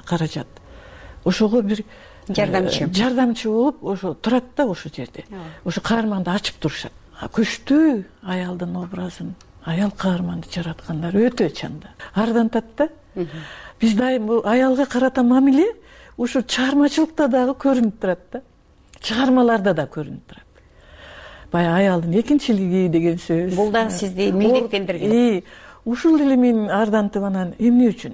каражат. Ошого бир жардамчы болуп ошо турат да ошол жерде. Ошо каарманды ачып турушат. Күчтүү аялдын образын, аял каарманды жараткандар өтө чанда. Ардантат да. Биз дайым бул аялга карата мамиле ушу чыгармачылыкта дагы көрүнүп турат да. Чыгармаларда да көрүнүп турат. Баягы аялдын экинчилиги деген сөз. Бул да сизди милдеттендирген. Ушул деле мен ардантып анан эмне үчүн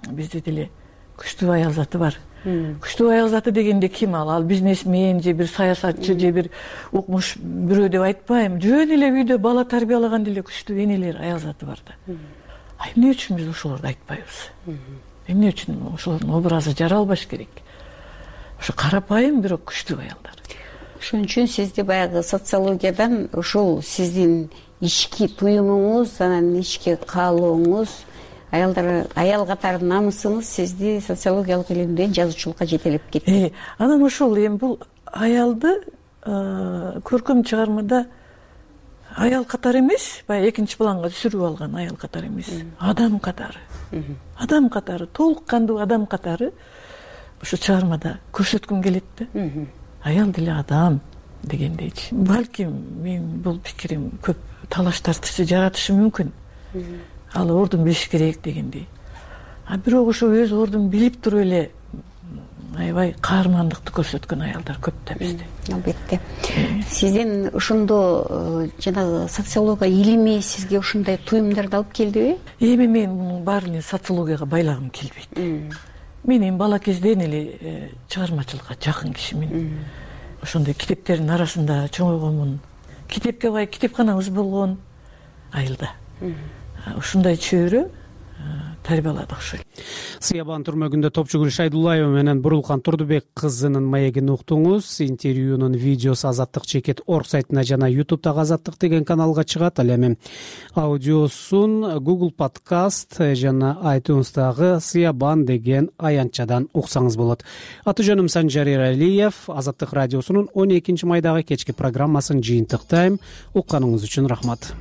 бизде деле күчтүү аял заты бар. Күчтүү аял заты дегенде ким ал? Ал бизнесмен же бир саясатчы же бир укмуш бирөө деп айтпайм. Жөн эле үйдө бала тарбиялаган деле күчтүү энелер, аял заты бар да. Эмне үчүн биз ошолорду айтпайбыз? Эмне үчүн ошолордун образы жаралбаш керек? Ошо карапайым бирок күчтүү аялдар. Ошон үчүн сизди баягы социологиядан ушул сиздин ички туюмуңуз, анан ички каалооңуз, аял катары намысыңыз сизди социологиялык илимден жазуучулукка жетелеп кетти. Анан ошол эми бул аялды көркөм чыгармада аял катары эмес, баягы экинчи планга түшүрүп алган аял катары эмес, адам катары. Адам катары, толук кандуу адам катары ушу чыгармада көрсөткүм келет да. Аял деле адам дегендейчи. Балким мен бул пикирим көп талаш тартышы жаратышы мүмкүн. Ал ордун билиш керек дегендей. Бирок ошо өз ордун билип туруп эле аябай каармандыкты көрсөткөн аялдар көп да бизде. Албетте. Сиздин ошондо жанагы социология илими сизге ушундай туюмдарды алып келдиби? Эми мен мунун баарын социологияга байлагым келбейт. Мен эми бала кезден эле чыгармачылыкка жакын кишимин. Ошондой китептердин арасында чоңойгонмун. Китепке бай китепканабыз болгон айылда. Ушундай чөйрө тарбияладык ошол. Сыябан түрмөгүндө топчугүл Шайдуллаева менен Бурулкан Турдубек кызынын маегин уктуңуз. Интервьюнун видеосу Азаттык чекит орг сайтына жана YouTube'дагы Азаттык деген каналга чыгат. Ал эми аудиосун Google Podcast жана iTunes'дагы Сыябан деген аянтчадан уксаңыз болот. Аты жөнүм Санжар Эралиев. Азаттык радиосунун 12 майдагы кечки программасын жыйынтыктайм. Укканыңыз үчүн рахмат.